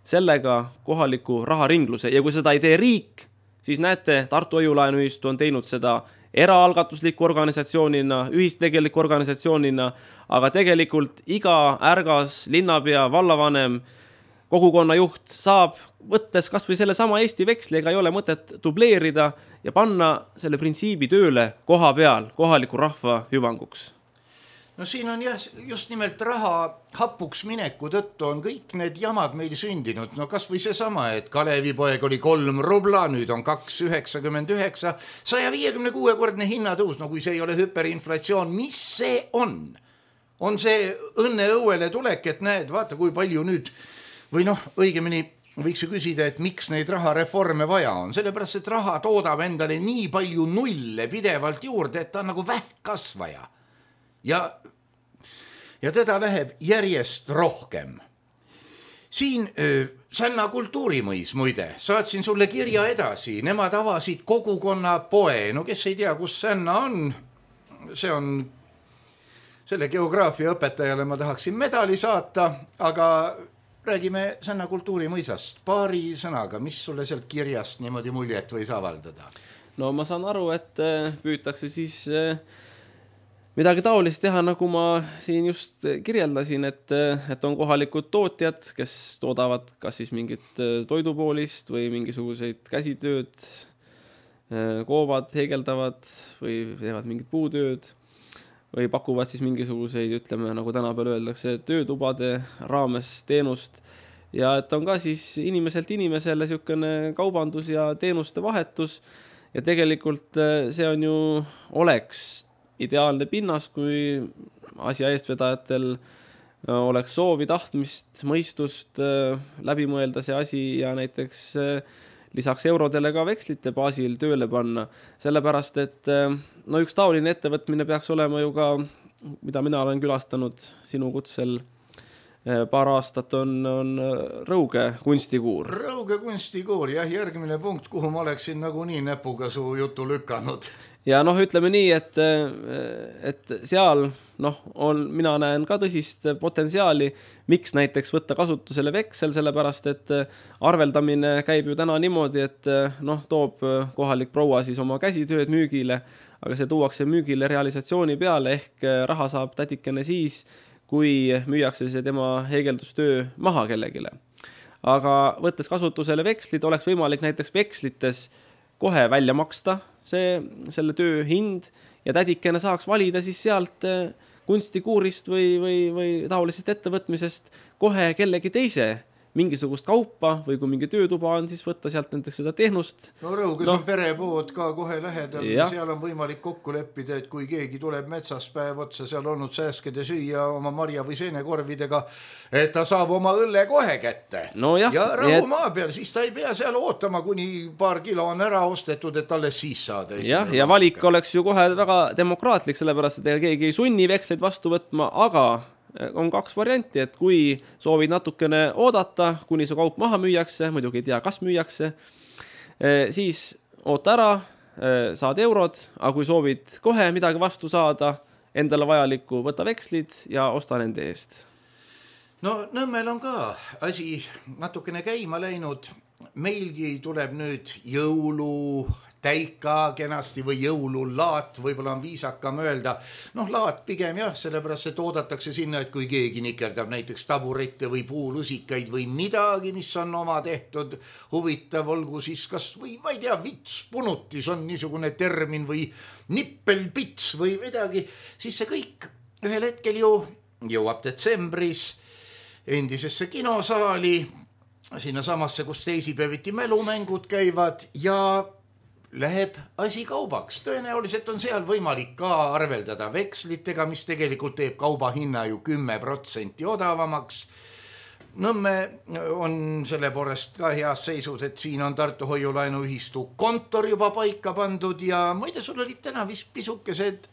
sellega kohaliku raharingluse. Ja kui seda ei tee riik, siis näete, Tartu Hoiulaenuühistu on teinud seda eraalgatusliku organisatsioonina, ühistegeliku organisatsioonina, aga tegelikult iga ärgas, linnapea, vallavanem, kogukonnajuht saab võttes kas või selle sama Eesti veksli, ega ei ole mõtet dubleerida ja panna selle printsiibi tööle koha peal, kohaliku rahva hüvanguks. No siin on jah, just nimelt raha hapuks mineku tõttu on kõik need jamad meil sündinud. No kas või see sama, et Kalevipoeg oli kolm rubla, nüüd on kaks üheksakümmend üheksa, saja viiekümne kuue kordne hinnatõus. No kui see ei ole hüperinflatsioon, mis see on? On see õnne õuele tulek, et näed, vaata kui palju nüüd, või noh, õigemini võiks ju küsida, et miks neid rahareforme vaja on. Sellepärast, et raha toodab endale nii palju nulle pidevalt juurde, et ta on nagu vähkkasvaja. Ja, ja teda läheb järjest rohkem. Siin äh, Sänna kultuurimõis, muide, saatsin sulle kirja edasi. Nemad avasid kogukonna poe. No kes ei tea, kus Sänna on? See on, selle geograafia õpetajale ma tahaksin medali saata, aga räägime Sänna kultuurimõisast paari sõnaga, mis sulle sealt kirjast niimoodi muljet võis avaldada? No ma saan aru, et püütakse siis midagi taolist teha, nagu ma siin just kirjeldasin, et, et on kohalikud tootjad, kes toodavad kas siis mingit toidupoolist või mingisuguseid käsitööd, koovad, heegeldavad või teevad mingit puutööd või pakuvad siis mingisuguseid, ütleme, nagu tänapäeval öeldakse, töötubade raames teenust ja et on ka siis inimeselt inimesele niisugune kaubandus ja teenuste vahetus ja tegelikult see on ju oleks ideaalne pinnas, kui asja eestvedajatel oleks soovi, tahtmist, mõistust läbi mõelda see asi ja näiteks lisaks eurodele ka vekslite baasil tööle panna, sellepärast et no üks taoline ettevõtmine peaks olema ju ka, mida mina olen külastanud sinu kutsel paar aastat, on, on Rõuge kunstikuur. Rõuge kunstikuur, jah, järgmine punkt, kuhu ma oleksin nagu nii näpuga su jutu lükanud. Ja noh, ütleme nii, et, et seal noh, on, mina näen ka tõsist potentsiaali, miks näiteks võtta kasutusele veksel, sellepärast et arveldamine käib ju täna niimoodi, et noh, toob kohalik proua siis oma käsitööd müügile, aga see tuuakse müügile realisatsiooni peale, ehk raha saab tätikene siis, kui müüakse see tema heegeldustöö maha kellegile. Aga võttes kasutusele vekslid, oleks võimalik näiteks vekslites kohe välja maksta see, selle töö hind ja tädikene saaks valida siis sealt kunstikuurist või, või, või taolisest ettevõtmisest kohe kellegi teise mingisugust kaupa või kui mingi töötuba on, siis võtta sealt näiteks seda tehnust. No Rõuges no. on perepood ka kohe lähedal, ja. seal on võimalik kokku leppida, et kui keegi tuleb metsas päev otsa, seal olnud sääskede süüa oma marja või seenekorvidega, et ta saab oma õlle kohe kätte. No jah, ja Rõu maa peal, siis ta ei pea seal ootama, kuni paar kilo on ära ostetud, et alles siis saada. Jah, ja valik oleks ju kohe väga demokraatlik, sellepärast, et keegi ei sunni veksleid vastu võtma, aga on kaks varianti, et kui soovid natukene oodata, kuni su kaup maha müüakse, muidugi ei tea, kas müüakse, siis oota ära, saad eurod, aga kui soovid kohe midagi vastu saada, endale vajalikku, võta vekslid ja osta nende eest. No Nõmmel on ka asi natukene käima läinud. Meilgi tuleb nüüd jõulu täika kenasti või jõululaat, võib-olla on viisakam öelda. Noh, laat pigem jah, sellepärast, et oodatakse sinna, et kui keegi nikerdab näiteks taburette või puulusikaid või midagi, mis on oma tehtud, huvitav olgu siis kas või, ma ei tea, vitspunutis on niisugune termin või nippelpits või midagi, siis see kõik ühel hetkel ju jõuab detsembris endisesse kinosaali, sinna samasse, kus teisipäeviti mälumängud käivad ja läheb asi kaubaks. Tõenäoliselt on seal võimalik ka arveldada vekslitega, mis tegelikult teeb kauba hinna ju kümme protsenti odavamaks. Nõmme on selle poolest ka heas seisus, et siin on Tartu Hoiulaenuühistu kontor juba paika pandud ja muide, sul olid täna vist pisukesed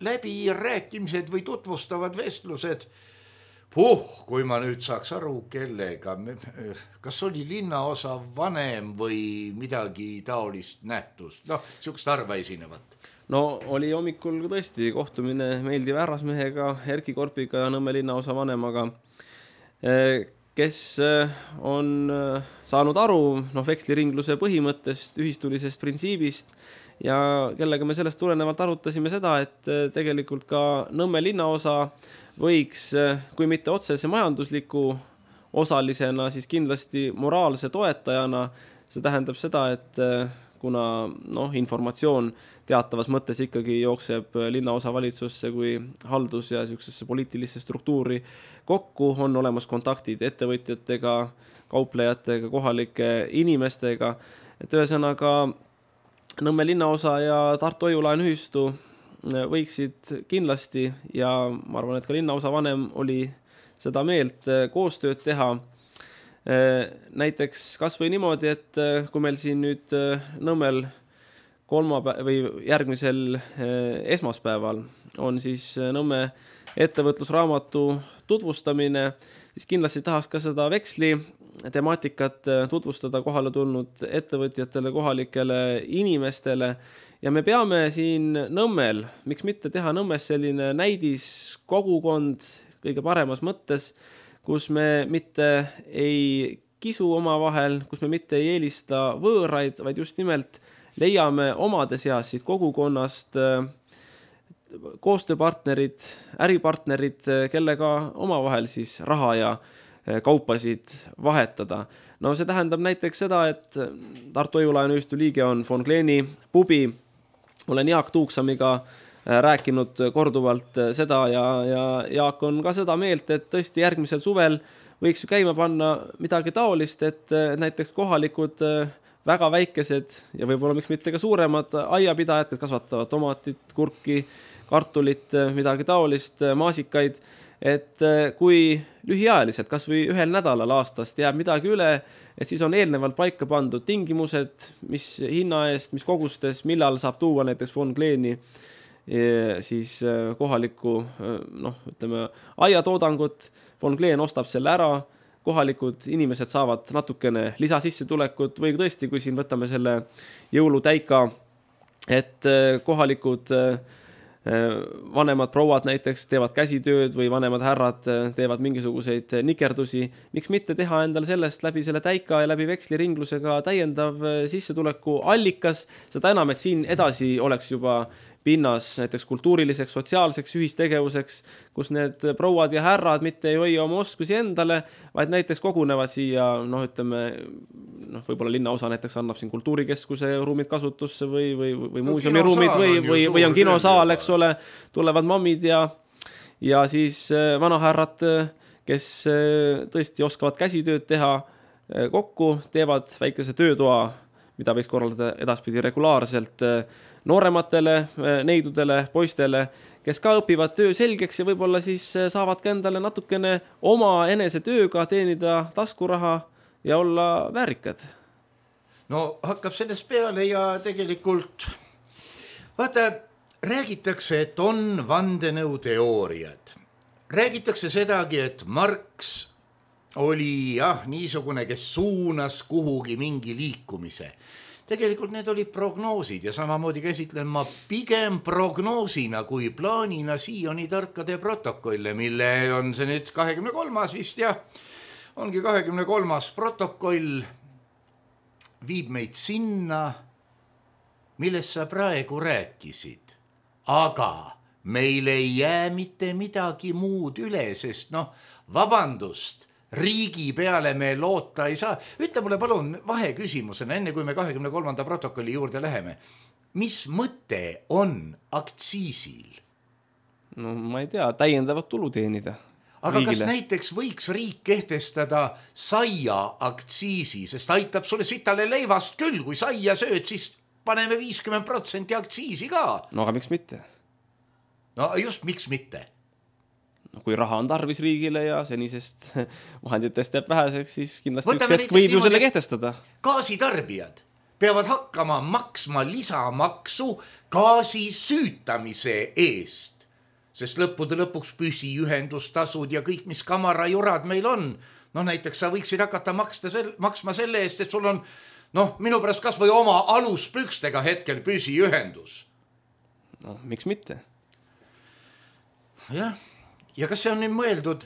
läbirääkimised või tutvustavad vestlused. Puh, kui ma nüüd saaks aru, kellega, kas oli linnaosa vanem või midagi taolist nähtust, noh, siukest harva esinevat. No oli hommikul tõesti kohtumine meeldiva härrasmehega, Erki Korpiga ja Nõmme linnaosa vanemaga, kes on saanud aru noh, veksliringluse põhimõttest, ühistulisest printsiibist ja kellega me sellest tulenevalt arutasime seda, et tegelikult ka Nõmme linnaosa võiks, kui mitte otsese majandusliku osalisena, siis kindlasti moraalse toetajana. See tähendab seda, et kuna noh, informatsioon teatavas mõttes ikkagi jookseb linnaosa valitsusse kui haldus- ja sellisesse poliitilisse struktuuri kokku, on olemas kontaktid ettevõtjatega, kauplejatega, kohalike inimestega. Et ühesõnaga Nõmme linnaosa ja Tartu Hoiulaenuühistu võiksid kindlasti ja ma arvan, et ka linnaosa vanem oli seda meelt koostööd teha. Näiteks kas või niimoodi, et kui meil siin nüüd Nõmmel kolmapäev või järgmisel esmaspäeval on siis Nõmme ettevõtlusraamatu tutvustamine, siis kindlasti tahaks ka seda veksli temaatikat tutvustada kohale tulnud ettevõtjatele, kohalikele inimestele. Ja me peame siin Nõmmel, miks mitte teha Nõmmes selline näidis kogukond kõige paremas mõttes, kus me mitte ei kisu oma vahel, kus me mitte ei eelista võõraid, vaid just nimelt leiame omade seas siit kogukonnast koostööpartnerid, äripartnerid, kellega omavahel siis raha ja kaupasid vahetada. No see tähendab näiteks seda, et Tartu Hoiulaenuühistu liige on von Kleeni pubi. Olen Jaak Tuuksamiga rääkinud korduvalt seda ja, ja Jaak on ka seda meelt, et tõesti järgmisel suvel võiks ju käima panna midagi taolist, et näiteks kohalikud väga väikesed ja võib-olla miks mitte ka suuremad aiapidajad, kes kasvatavad tomatit, kurki, kartulit, midagi taolist, maasikaid, et kui lühiajaliselt, kas või ühel nädalal aastast jääb midagi üle, et siis on eelnevalt paika pandud tingimused, mis hinna eest, mis kogustes, millal saab tuua näiteks von Kleeni siis kohalikku, noh, ütleme, aiatoodangut, von Kleen ostab selle ära, kohalikud inimesed saavad natukene lisasissetulekut või tõesti, kui siin võtame selle jõulutäika, et kohalikud vanemad prouad näiteks teevad käsitööd või vanemad härrad teevad mingisuguseid nikerdusi. Miks mitte teha endal sellest läbi selle täika ja läbi veksliringlusega täiendav sissetuleku allikas, seda enam, et siin edasi oleks juba pinnas näiteks kultuuriliseks, sotsiaalseks ühistegevuseks, kus need prouad ja härrad mitte ei hoia oma oskusi endale, vaid näiteks kogunevad siia, noh, ütleme, noh, võib-olla linnaosa näiteks annab siin kultuurikeskuse ruumid kasutusse või, või, või no, muuseumi ruumid või, või, või on kinosaal, eks ole, tulevad mammid ja, ja siis vanahärrad kes tõesti oskavad käsitööd teha kokku, teevad väikese töötoa, mida võiks korraldada edaspidi regulaarselt noorematele neidudele, poistele, kes ka õpivad töö selgeks ja võib-olla siis saavad ka endale natukene oma enese tööga teenida taskuraha ja olla väärikad. No hakkab sellest peale ja tegelikult vaata, räägitakse, et on vandenõuteooriad. Räägitakse sedagi, et Marx oli jah, niisugune, kes suunas kuhugi mingi liikumise. Tegelikult need olid prognoosid ja samamoodi käsitlen ma pigem prognoosina kui plaanina siiani tarkade protokolle, mille on see nüüd kahekümne kolmas vist ja ongi kahekümne kolmas protokoll, viib meid sinna, millest sa praegu rääkisid. Aga meil ei jää mitte midagi muud üle, sest noh, vabandust, riigi peale me loota ei saa. Ütle mulle palun vahe küsimusena, enne kui me kahekümne kolmanda protokolli juurde läheme. Mis mõte on aktsiisil? No ma ei tea, täiendavat tulu teenida. Aga riigile. Kas näiteks võiks riik kehtestada saia aktsiisi, sest aitab sulle sitale leivast küll, kui saia sööd, siis paneme viiskümmend protsenti aktsiisi ka. No aga miks mitte? No just miks mitte? No, kui raha on tarvis riigile ja senisest vahenditest jääb väheseks, siis kindlasti Võtame üks hetk võib ju selle kehtestada. Gaasitarbijad peavad hakkama maksma lisamaksu gaasi süütamise eest, sest lõppude lõpuks püsiühendustasud ja kõik, mis kamarajurad meil on. No näiteks sa võiksid hakata maksta sel, maksma selle eest, et sul on noh, minu pärast kas või oma aluspükstega hetkel püsiühendus. No, miks mitte? Jah. Ja kas see on nüüd mõeldud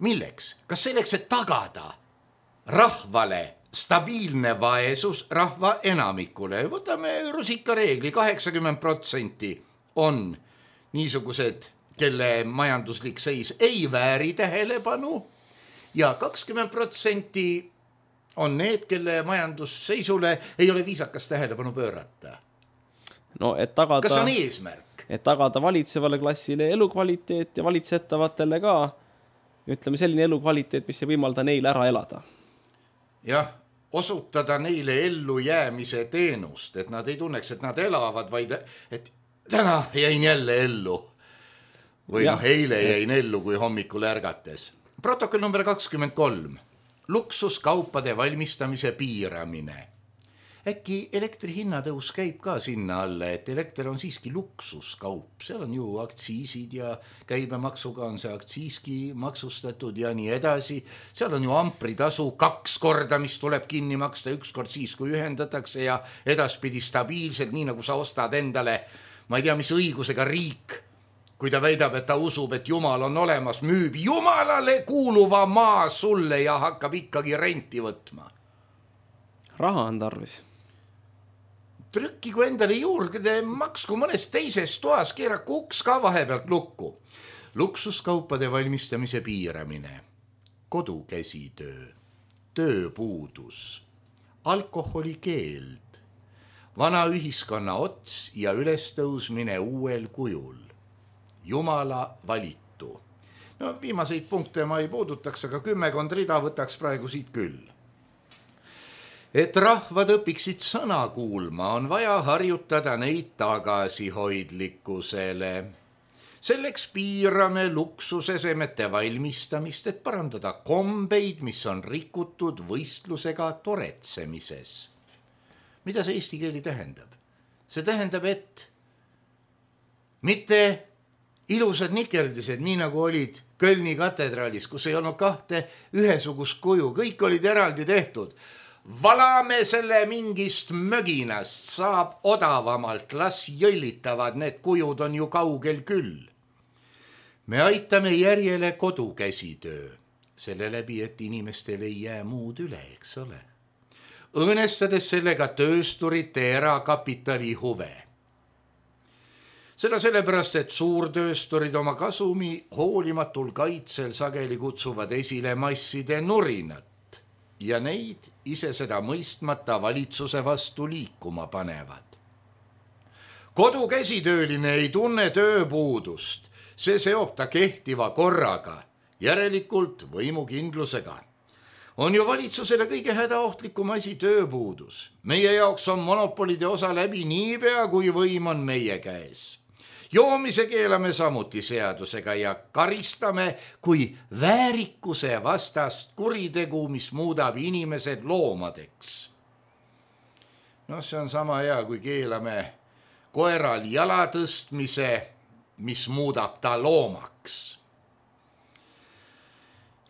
milleks? Kas selleks, et tagada rahvale stabiilne vaesus rahva enamikule? Võtame rusikareegli, kaheksakümmend protsenti on niisugused, kelle majanduslik seis ei vääri tähelepanu ja kakskümmend protsenti on need, kelle majandusseisule ei ole viisakas tähelepanu pöörata. No, et tagada... Kas on eesmärk? Et tagada valitsevale klassile elukvaliteet ja valitsetavatel ka, ütleme, selline elukvaliteet, mis ei võimalda neile ära elada. Jah, osutada neile ellu jäämise teenust, et nad ei tunneks, et nad elavad, vaid et täna jäin jälle ellu. Või ja. noh, eile jäin ellu, kui hommikul ärgates. Protokoll number kakskümmend kolm. Luksuskaupade valmistamise piiramine. Äkki elektri hinnatõus käib ka sinna alla, et elekter on siiski luksuskaup. Seal on ju aktsiisid ja käibemaksuga on see aktsiiski maksustatud ja nii edasi. Seal on ju ampritasu kaks korda, mis tuleb kinni maksta, üks kord siis, kui ühendatakse ja edaspidi stabiilselt, nii nagu sa ostad endale, ma ei tea, mis õigusega riik, kui ta väidab, et ta usub, et Jumal on olemas, müüb Jumalale kuuluva maa sulle ja hakkab ikkagi renti võtma. Raha on tarvis. Trükkigu endale juurde, maksku mõnes teises toas, keeraku uks ka vahepealt lukku. Luksuskaupade valmistamise piiramine, kodukäsitöö, tööpuudus, alkoholikeeld, vana ühiskonna ots ja ülestõusmine uuel kujul, Jumala valitu. No viimaseid punkte ma ei puudutaks, aga kümmekond rida võtaks praegu siit küll. Et rahvad õpiksid sõna kuulma, on vaja harjutada neid tagasihoidlikkusele. Selleks piirame luksusesemete valmistamist, et parandada kombeid, mis on rikutud võistlusega toretsemises. Mida see eesti keeli tähendab? See tähendab, et mitte ilusad nikerdised, nii nagu olid Kölni katedraalis, kus ei olnud kahte ühesugust kuju, kõik olid eraldi tehtud. Valame selle mingist möginast, saab odavamalt, las jõllitavad, need kujud on ju kaugel küll. Me aitame järjele kodukäsitöö, selle läbi, et inimestel ei jää muud üle, eks ole. Õõnestades sellega töösturite erakapitali huve. Seda sellepärast, et suurtöösturid oma kasumi hoolimatul kaitsel sageli kutsuvad esile masside nurinat ja neid ise seda mõistmata valitsuse vastu liikuma panevad. Kodukäsitööline ei tunne tööpuudust, see seob ta kehtiva korraga järelikult võimukindlusega. On ju valitsusele kõige hädaohtlikum asi tööpuudus. Meie jaoks on monopolide osa läbi niipea, kui võim on meie käes. Joomise keelame samuti seadusega ja karistame kui väärikuse vastast kuritegu, mis muudab inimesed loomadeks. No see on sama hea, kui keelame koeral jala tõstmise, mis muudab ta loomaks.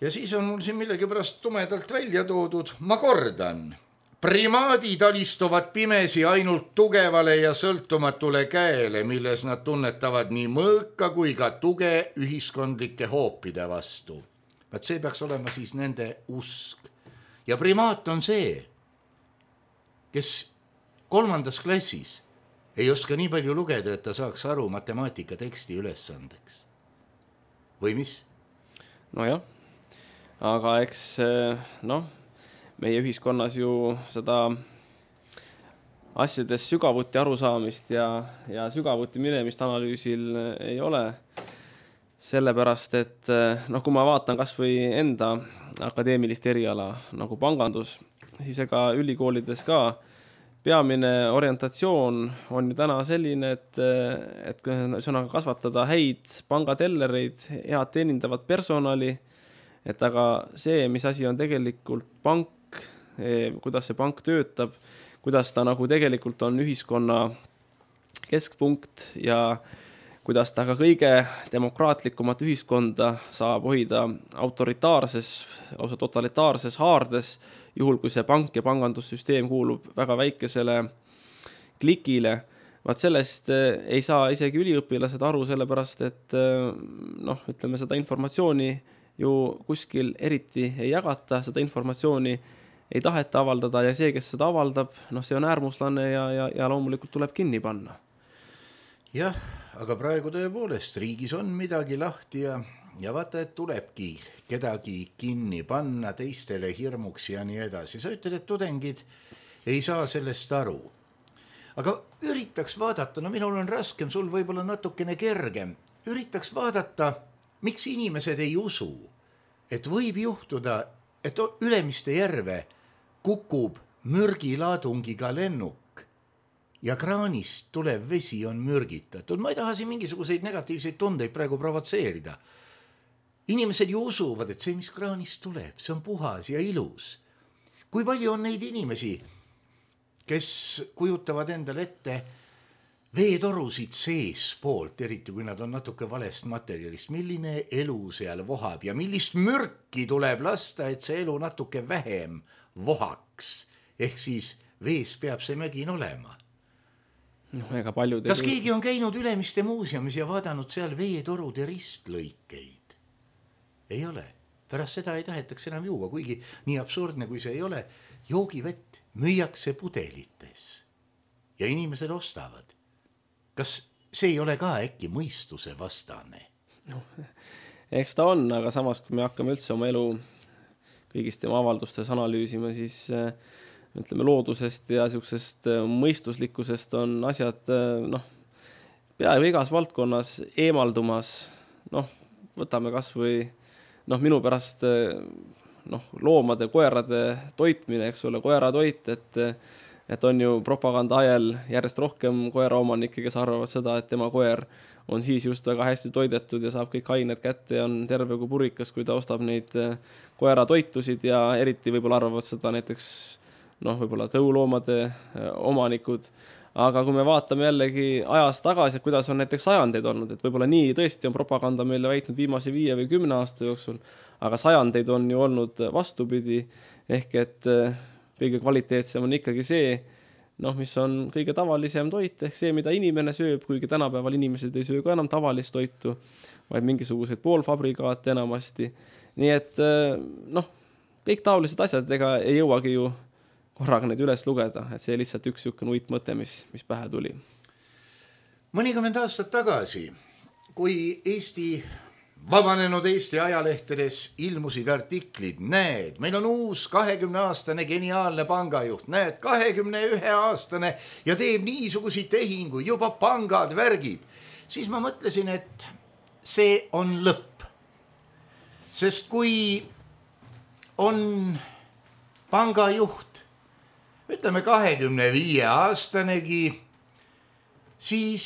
Ja siis on mul siin millegipärast tumedalt välja toodud, ma kordan, primaadid alistuvad pimesi ainult tugevale ja sõltumatule käele, milles nad tunnetavad nii mõõka kui ka tuge ühiskondlike hoopide vastu. Vaat see peaks olema siis nende usk. Ja primaat on see, kes kolmandas klassis ei oska nii palju lugeda, et ta saaks aru matemaatika teksti ülesandeks. Või mis? No jah. Aga eks noh, meie ühiskonnas ju seda asjades sügavuti arusaamist ja, ja sügavuti minemist analüüsil ei ole. Sellepärast, et noh, kui ma vaatan kas või enda akadeemilist eriala nagu pangandus, siis ega ülikoolides ka peamine orientatsioon on ju täna selline, et, et sõnaga kasvatada häid pangatellereid, head teenindavat personali, et aga see, mis asi on tegelikult pank, kuidas see pank töötab, kuidas ta nagu tegelikult on ühiskonna keskpunkt ja kuidas ta ka kõige demokraatlikumat ühiskonda saab hoida autoritaarses, lausa totalitaarses haardes, juhul kui see pank ja pangandussüsteem kuulub väga väikesele klikile. Vaat sellest ei saa isegi üliõpilased aru, sellepärast, et noh, ütleme, seda informatsiooni ju kuskil eriti ei jagata, seda informatsiooni ei taheta avaldada ja see, kes seda avaldab, noh, see on äärmuslane ja, ja, ja loomulikult tuleb kinni panna. Jah, aga praegu tõepoolest riigis on midagi lahti ja, ja vaata, et tulebki kedagi kinni panna teistele hirmuks ja nii edasi. Sa ütled, et tudengid ei saa sellest aru. Aga üritaks vaadata, no minul on raskem, sul võib-olla natukene kergem. Üritaks vaadata, miks inimesed ei usu, et võib juhtuda, et Ülemiste järve kukub mürgilaadungiga lennuk ja kraanist tulev vesi on mürgitatud. Ma ei taha siin mingisuguseid negatiivseid tundeid praegu provotseerida. Inimesed ju usuvad, et see, mis kraanist tuleb, see on puhas ja ilus. Kui palju on neid inimesi, kes kujutavad endale ette veetorusid sees poolt, eriti kui nad on natuke valest materjalist, milline elu seal vohab ja millist mürki tuleb lasta, et see elu natuke vähem vohaks. Ehk siis vees peab see mögin olema. No, ega paljud Kas keegi on käinud Ülemiste muuseumis ja vaadanud seal veetorude ristlõikeid? Ei ole. Pärast seda ei tahetaks enam juua, kuigi nii absurdne kui see ei ole. Joogivett müüakse pudelites ja inimesed ostavad. Kas see ei ole ka äkki mõistuse vastane? No, eks ta on, aga samas kui me hakkame üldse oma elu kõigist tema avaldustes analüüsima, siis ütleme loodusest ja sellisest mõistuslikkusest on asjad noh, peaaegu igas valdkonnas eemaldumas. Noh, võtame kas või noh, minu pärast noh, loomade, koerade toitmine, eks ole, koeratoit, et et on ju propaganda ajal järjest rohkem koeraomanikke, kes arvavad seda, et tema koer on siis just väga hästi toidetud ja saab kõik ained kätte ja on terve kui purikas, kui ta ostab neid koeratoitusid ja eriti võib-olla arvavad seda näiteks noh, võib-olla tõuloomade omanikud. Aga kui me vaatame jällegi ajas tagasi, et kuidas on näiteks sajandeid olnud, et võib-olla nii tõesti on propaganda meile väitnud viimase viie või kümne aasta jooksul, aga sajandeid on ju olnud vastupidi, ehk et kõige kvaliteetsem on ikkagi see, noh, mis on kõige tavalisem toit, ehk see, mida inimene sööb, kuigi tänapäeval inimesed ei söö ka enam tavalist toitu, vaid mingisuguseid poolfabrikaate enamasti. Nii et noh, kõik taolised asjad ega ei jõuagi ju korraga neid üles lugeda, et see lihtsalt üks niisugune uitmõte, mis, mis pähe tuli. Mõnikümmend aastat tagasi, kui Eesti vabanenud Eesti ajalehtedes ilmusid artiklid, näed, meil on uus kahekümne-aastane geniaalne pangajuht, näed, kahekümne ühe aastane ja teeb niisuguseid tehinguid, juba pangad, värgid, siis ma mõtlesin, et see on lõpp. sest kui on pangajuht, ütleme kahekümne viie aastanegi, siis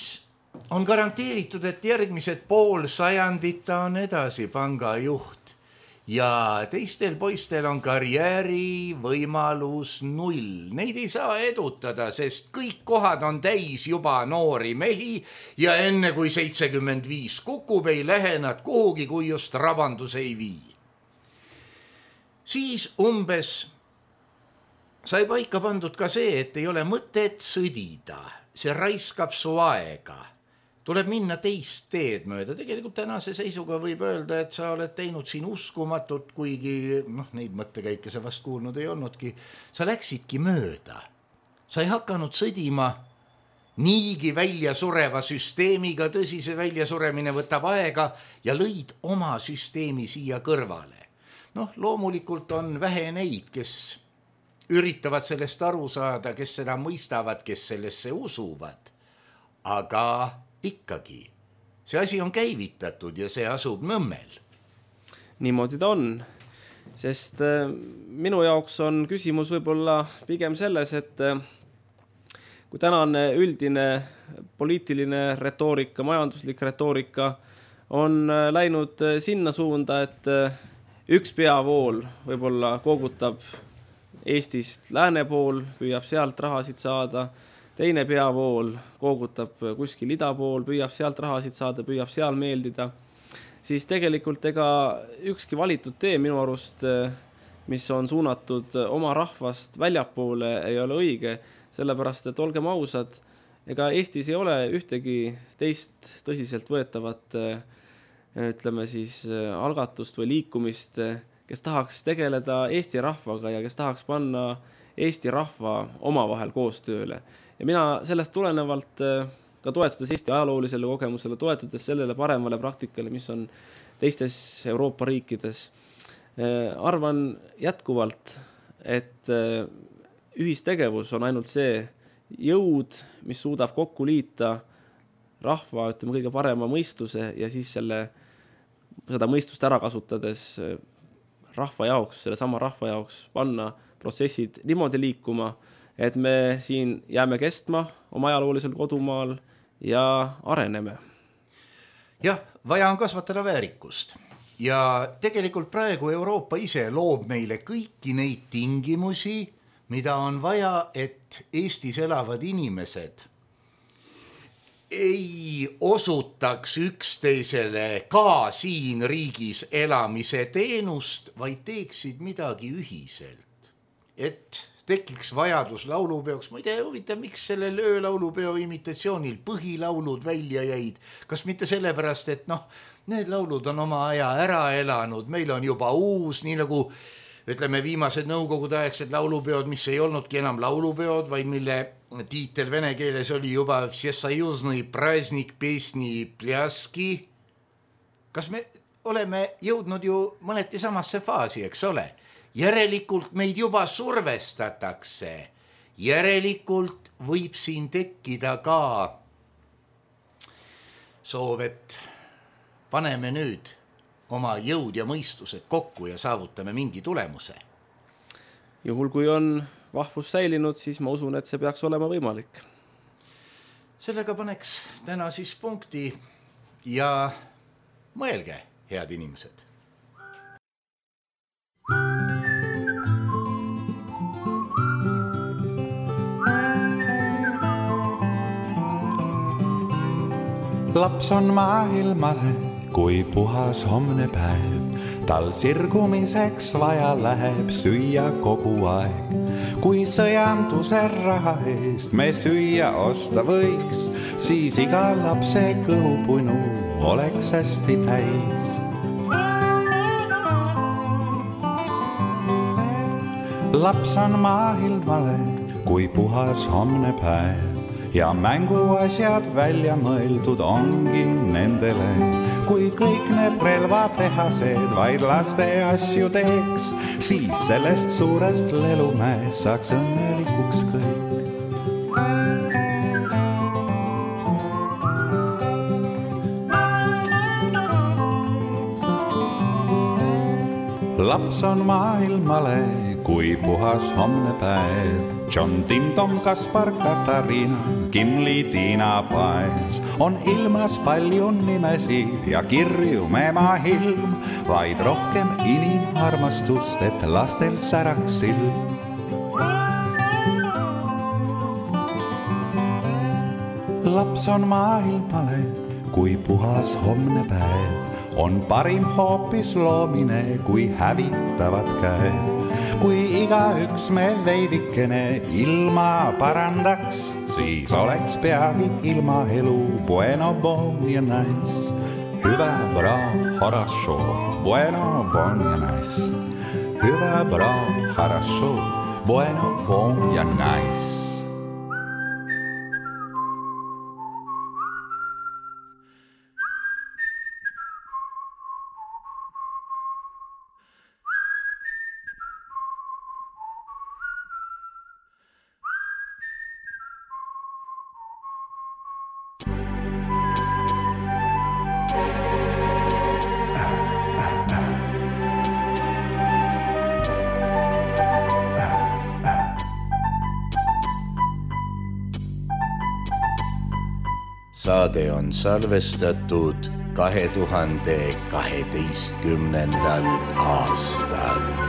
on garanteeritud, et järgmised pool sajandit ta on edasi pangajuht ja teistel poistel on karjääri võimalus null. Neid ei saa edutada, sest kõik kohad on täis juba noori mehi ja enne kui seitsekümmend viis kukub, ei lähe nad kuhugi, kui just rabandus ei vii. Siis umbes sai paika pandud ka see, et ei ole mõtet sõdida, see raiskab su aega. Tuleb minna teist teed mööda. Tegelikult tänase seisuga võib öelda, et sa oled teinud siin uskumatut, kuigi noh, neid mõttekäike sa vast kuulnud ei olnudki. Sa läksidki mööda. Sa ei hakanud sõdima niigi välja sureva süsteemiga, tõsise väljasuremine võtab aega ja lõid oma süsteemi siia kõrvale. Noh, loomulikult on vähe neid, kes üritavad sellest aru saada, kes seda mõistavad, kes sellesse usuvad. Aga ikkagi, see asi on käivitatud ja see asub Nõmmel. Niimoodi ta on, sest minu jaoks on küsimus võib-olla pigem selles, et kui tänane üldine poliitiline retoorika, majanduslik retoorika on läinud sinna suunda, et üks peavool võib-olla koogutab Eestist lääne pool, püüab sealt rahasid saada, teine peavool koogutab kuskil ida pool, püüab sealt rahasid saada, püüab seal meeldida, siis tegelikult ega ükski valitud tee minu arust, mis on suunatud oma rahvast väljapoole, ei ole õige, sellepärast, et olgem ausad, ega Eestis ei ole ühtegi teist tõsiselt võetavat, ütleme siis, algatust või liikumist, kes tahaks tegeleda Eesti rahvaga ja kes tahaks panna Eesti rahva omavahel koostööle. Ja mina sellest tulenevalt ka toetudes Eesti ajaloolisele kogemusele, toetudes sellele paremale praktikale, mis on teistes Euroopa riikides, arvan jätkuvalt, et ühistegevus on ainult see jõud, mis suudab kokku liita rahva, ütleme, kõige parema mõistuse ja siis selle, seda mõistust ära kasutades rahva jaoks, selle sama rahva jaoks panna protsessid niimoodi liikuma, et me siin jääme kestma oma ajaloolisel kodumaal ja areneme. Jah, vaja on kasvatada väärikust. Ja tegelikult praegu Euroopa ise loob meile kõiki neid tingimusi, mida on vaja, et Eestis elavad inimesed ei osutaks üksteisele ka siin riigis elamise teenust, vaid teeksid midagi ühiselt. Et tekiks vajadus laulupeoks. Ma ei tea, huvitav, miks sellel öölaulupeo imitatsioonil põhilaulud välja jäid. Kas mitte sellepärast, et noh, need laulud on oma aja ära elanud, meil on juba uus, nii nagu ütleme viimased nõukogude aegsed laulupeod, mis ei olnudki enam laulupeod, vaid mille tiitel vene keeles oli juba Всесоюзный праздник песни пляски. Kas me oleme jõudnud ju mõneti samasse faasi, eks ole? Järelikult meid juba survestatakse. Järelikult võib siin tekkida ka soov, et paneme nüüd oma jõud ja mõistused kokku ja saavutame mingi tulemuse. Juhul kui on vahvus säilinud, siis ma usun, et see peaks olema võimalik. Sellega paneks täna siis punkti ja mõelge, head inimesed. Laps on maailmale, kui puhas homne päev. Tal sirgumiseks vaja läheb süüa kogu aeg. Kui sõjanduse raha eest me süüa osta võiks, siis iga lapse kõhupunu oleks hästi täis. Laps on maailmale, kui puhas homne päev. Ja mänguasjad välja mõeldud ongi nendele, kui kõik need relvatehased vaid laste asju teeks, siis sellest suurest lelumäest saaks õnnelikuks kõik. laps on maailmale kui puhas homne päev. John, Tim, Tom, Kaspar, Katariina, Kimli, Tiina, Paes. On ilmas palju nimesi ja kirju mema hilm, vaid rohkem inimarmastust, et lastel säraks silm. Laps on maailmale kui puhas homne päev. On parim hoopis loomine kui hävitavad käed. Kui igaüks me veidikene ilma parandaks, siis oleks peagi ilma elu bueno, bon ja nice. Hyvä, bra, хорошо, bueno, bon ja nice. Hyvä, bra, хорошо, bueno, bon ja nice. Saade on salvestatud kahe tuhande kaheteistkümnendal aastal.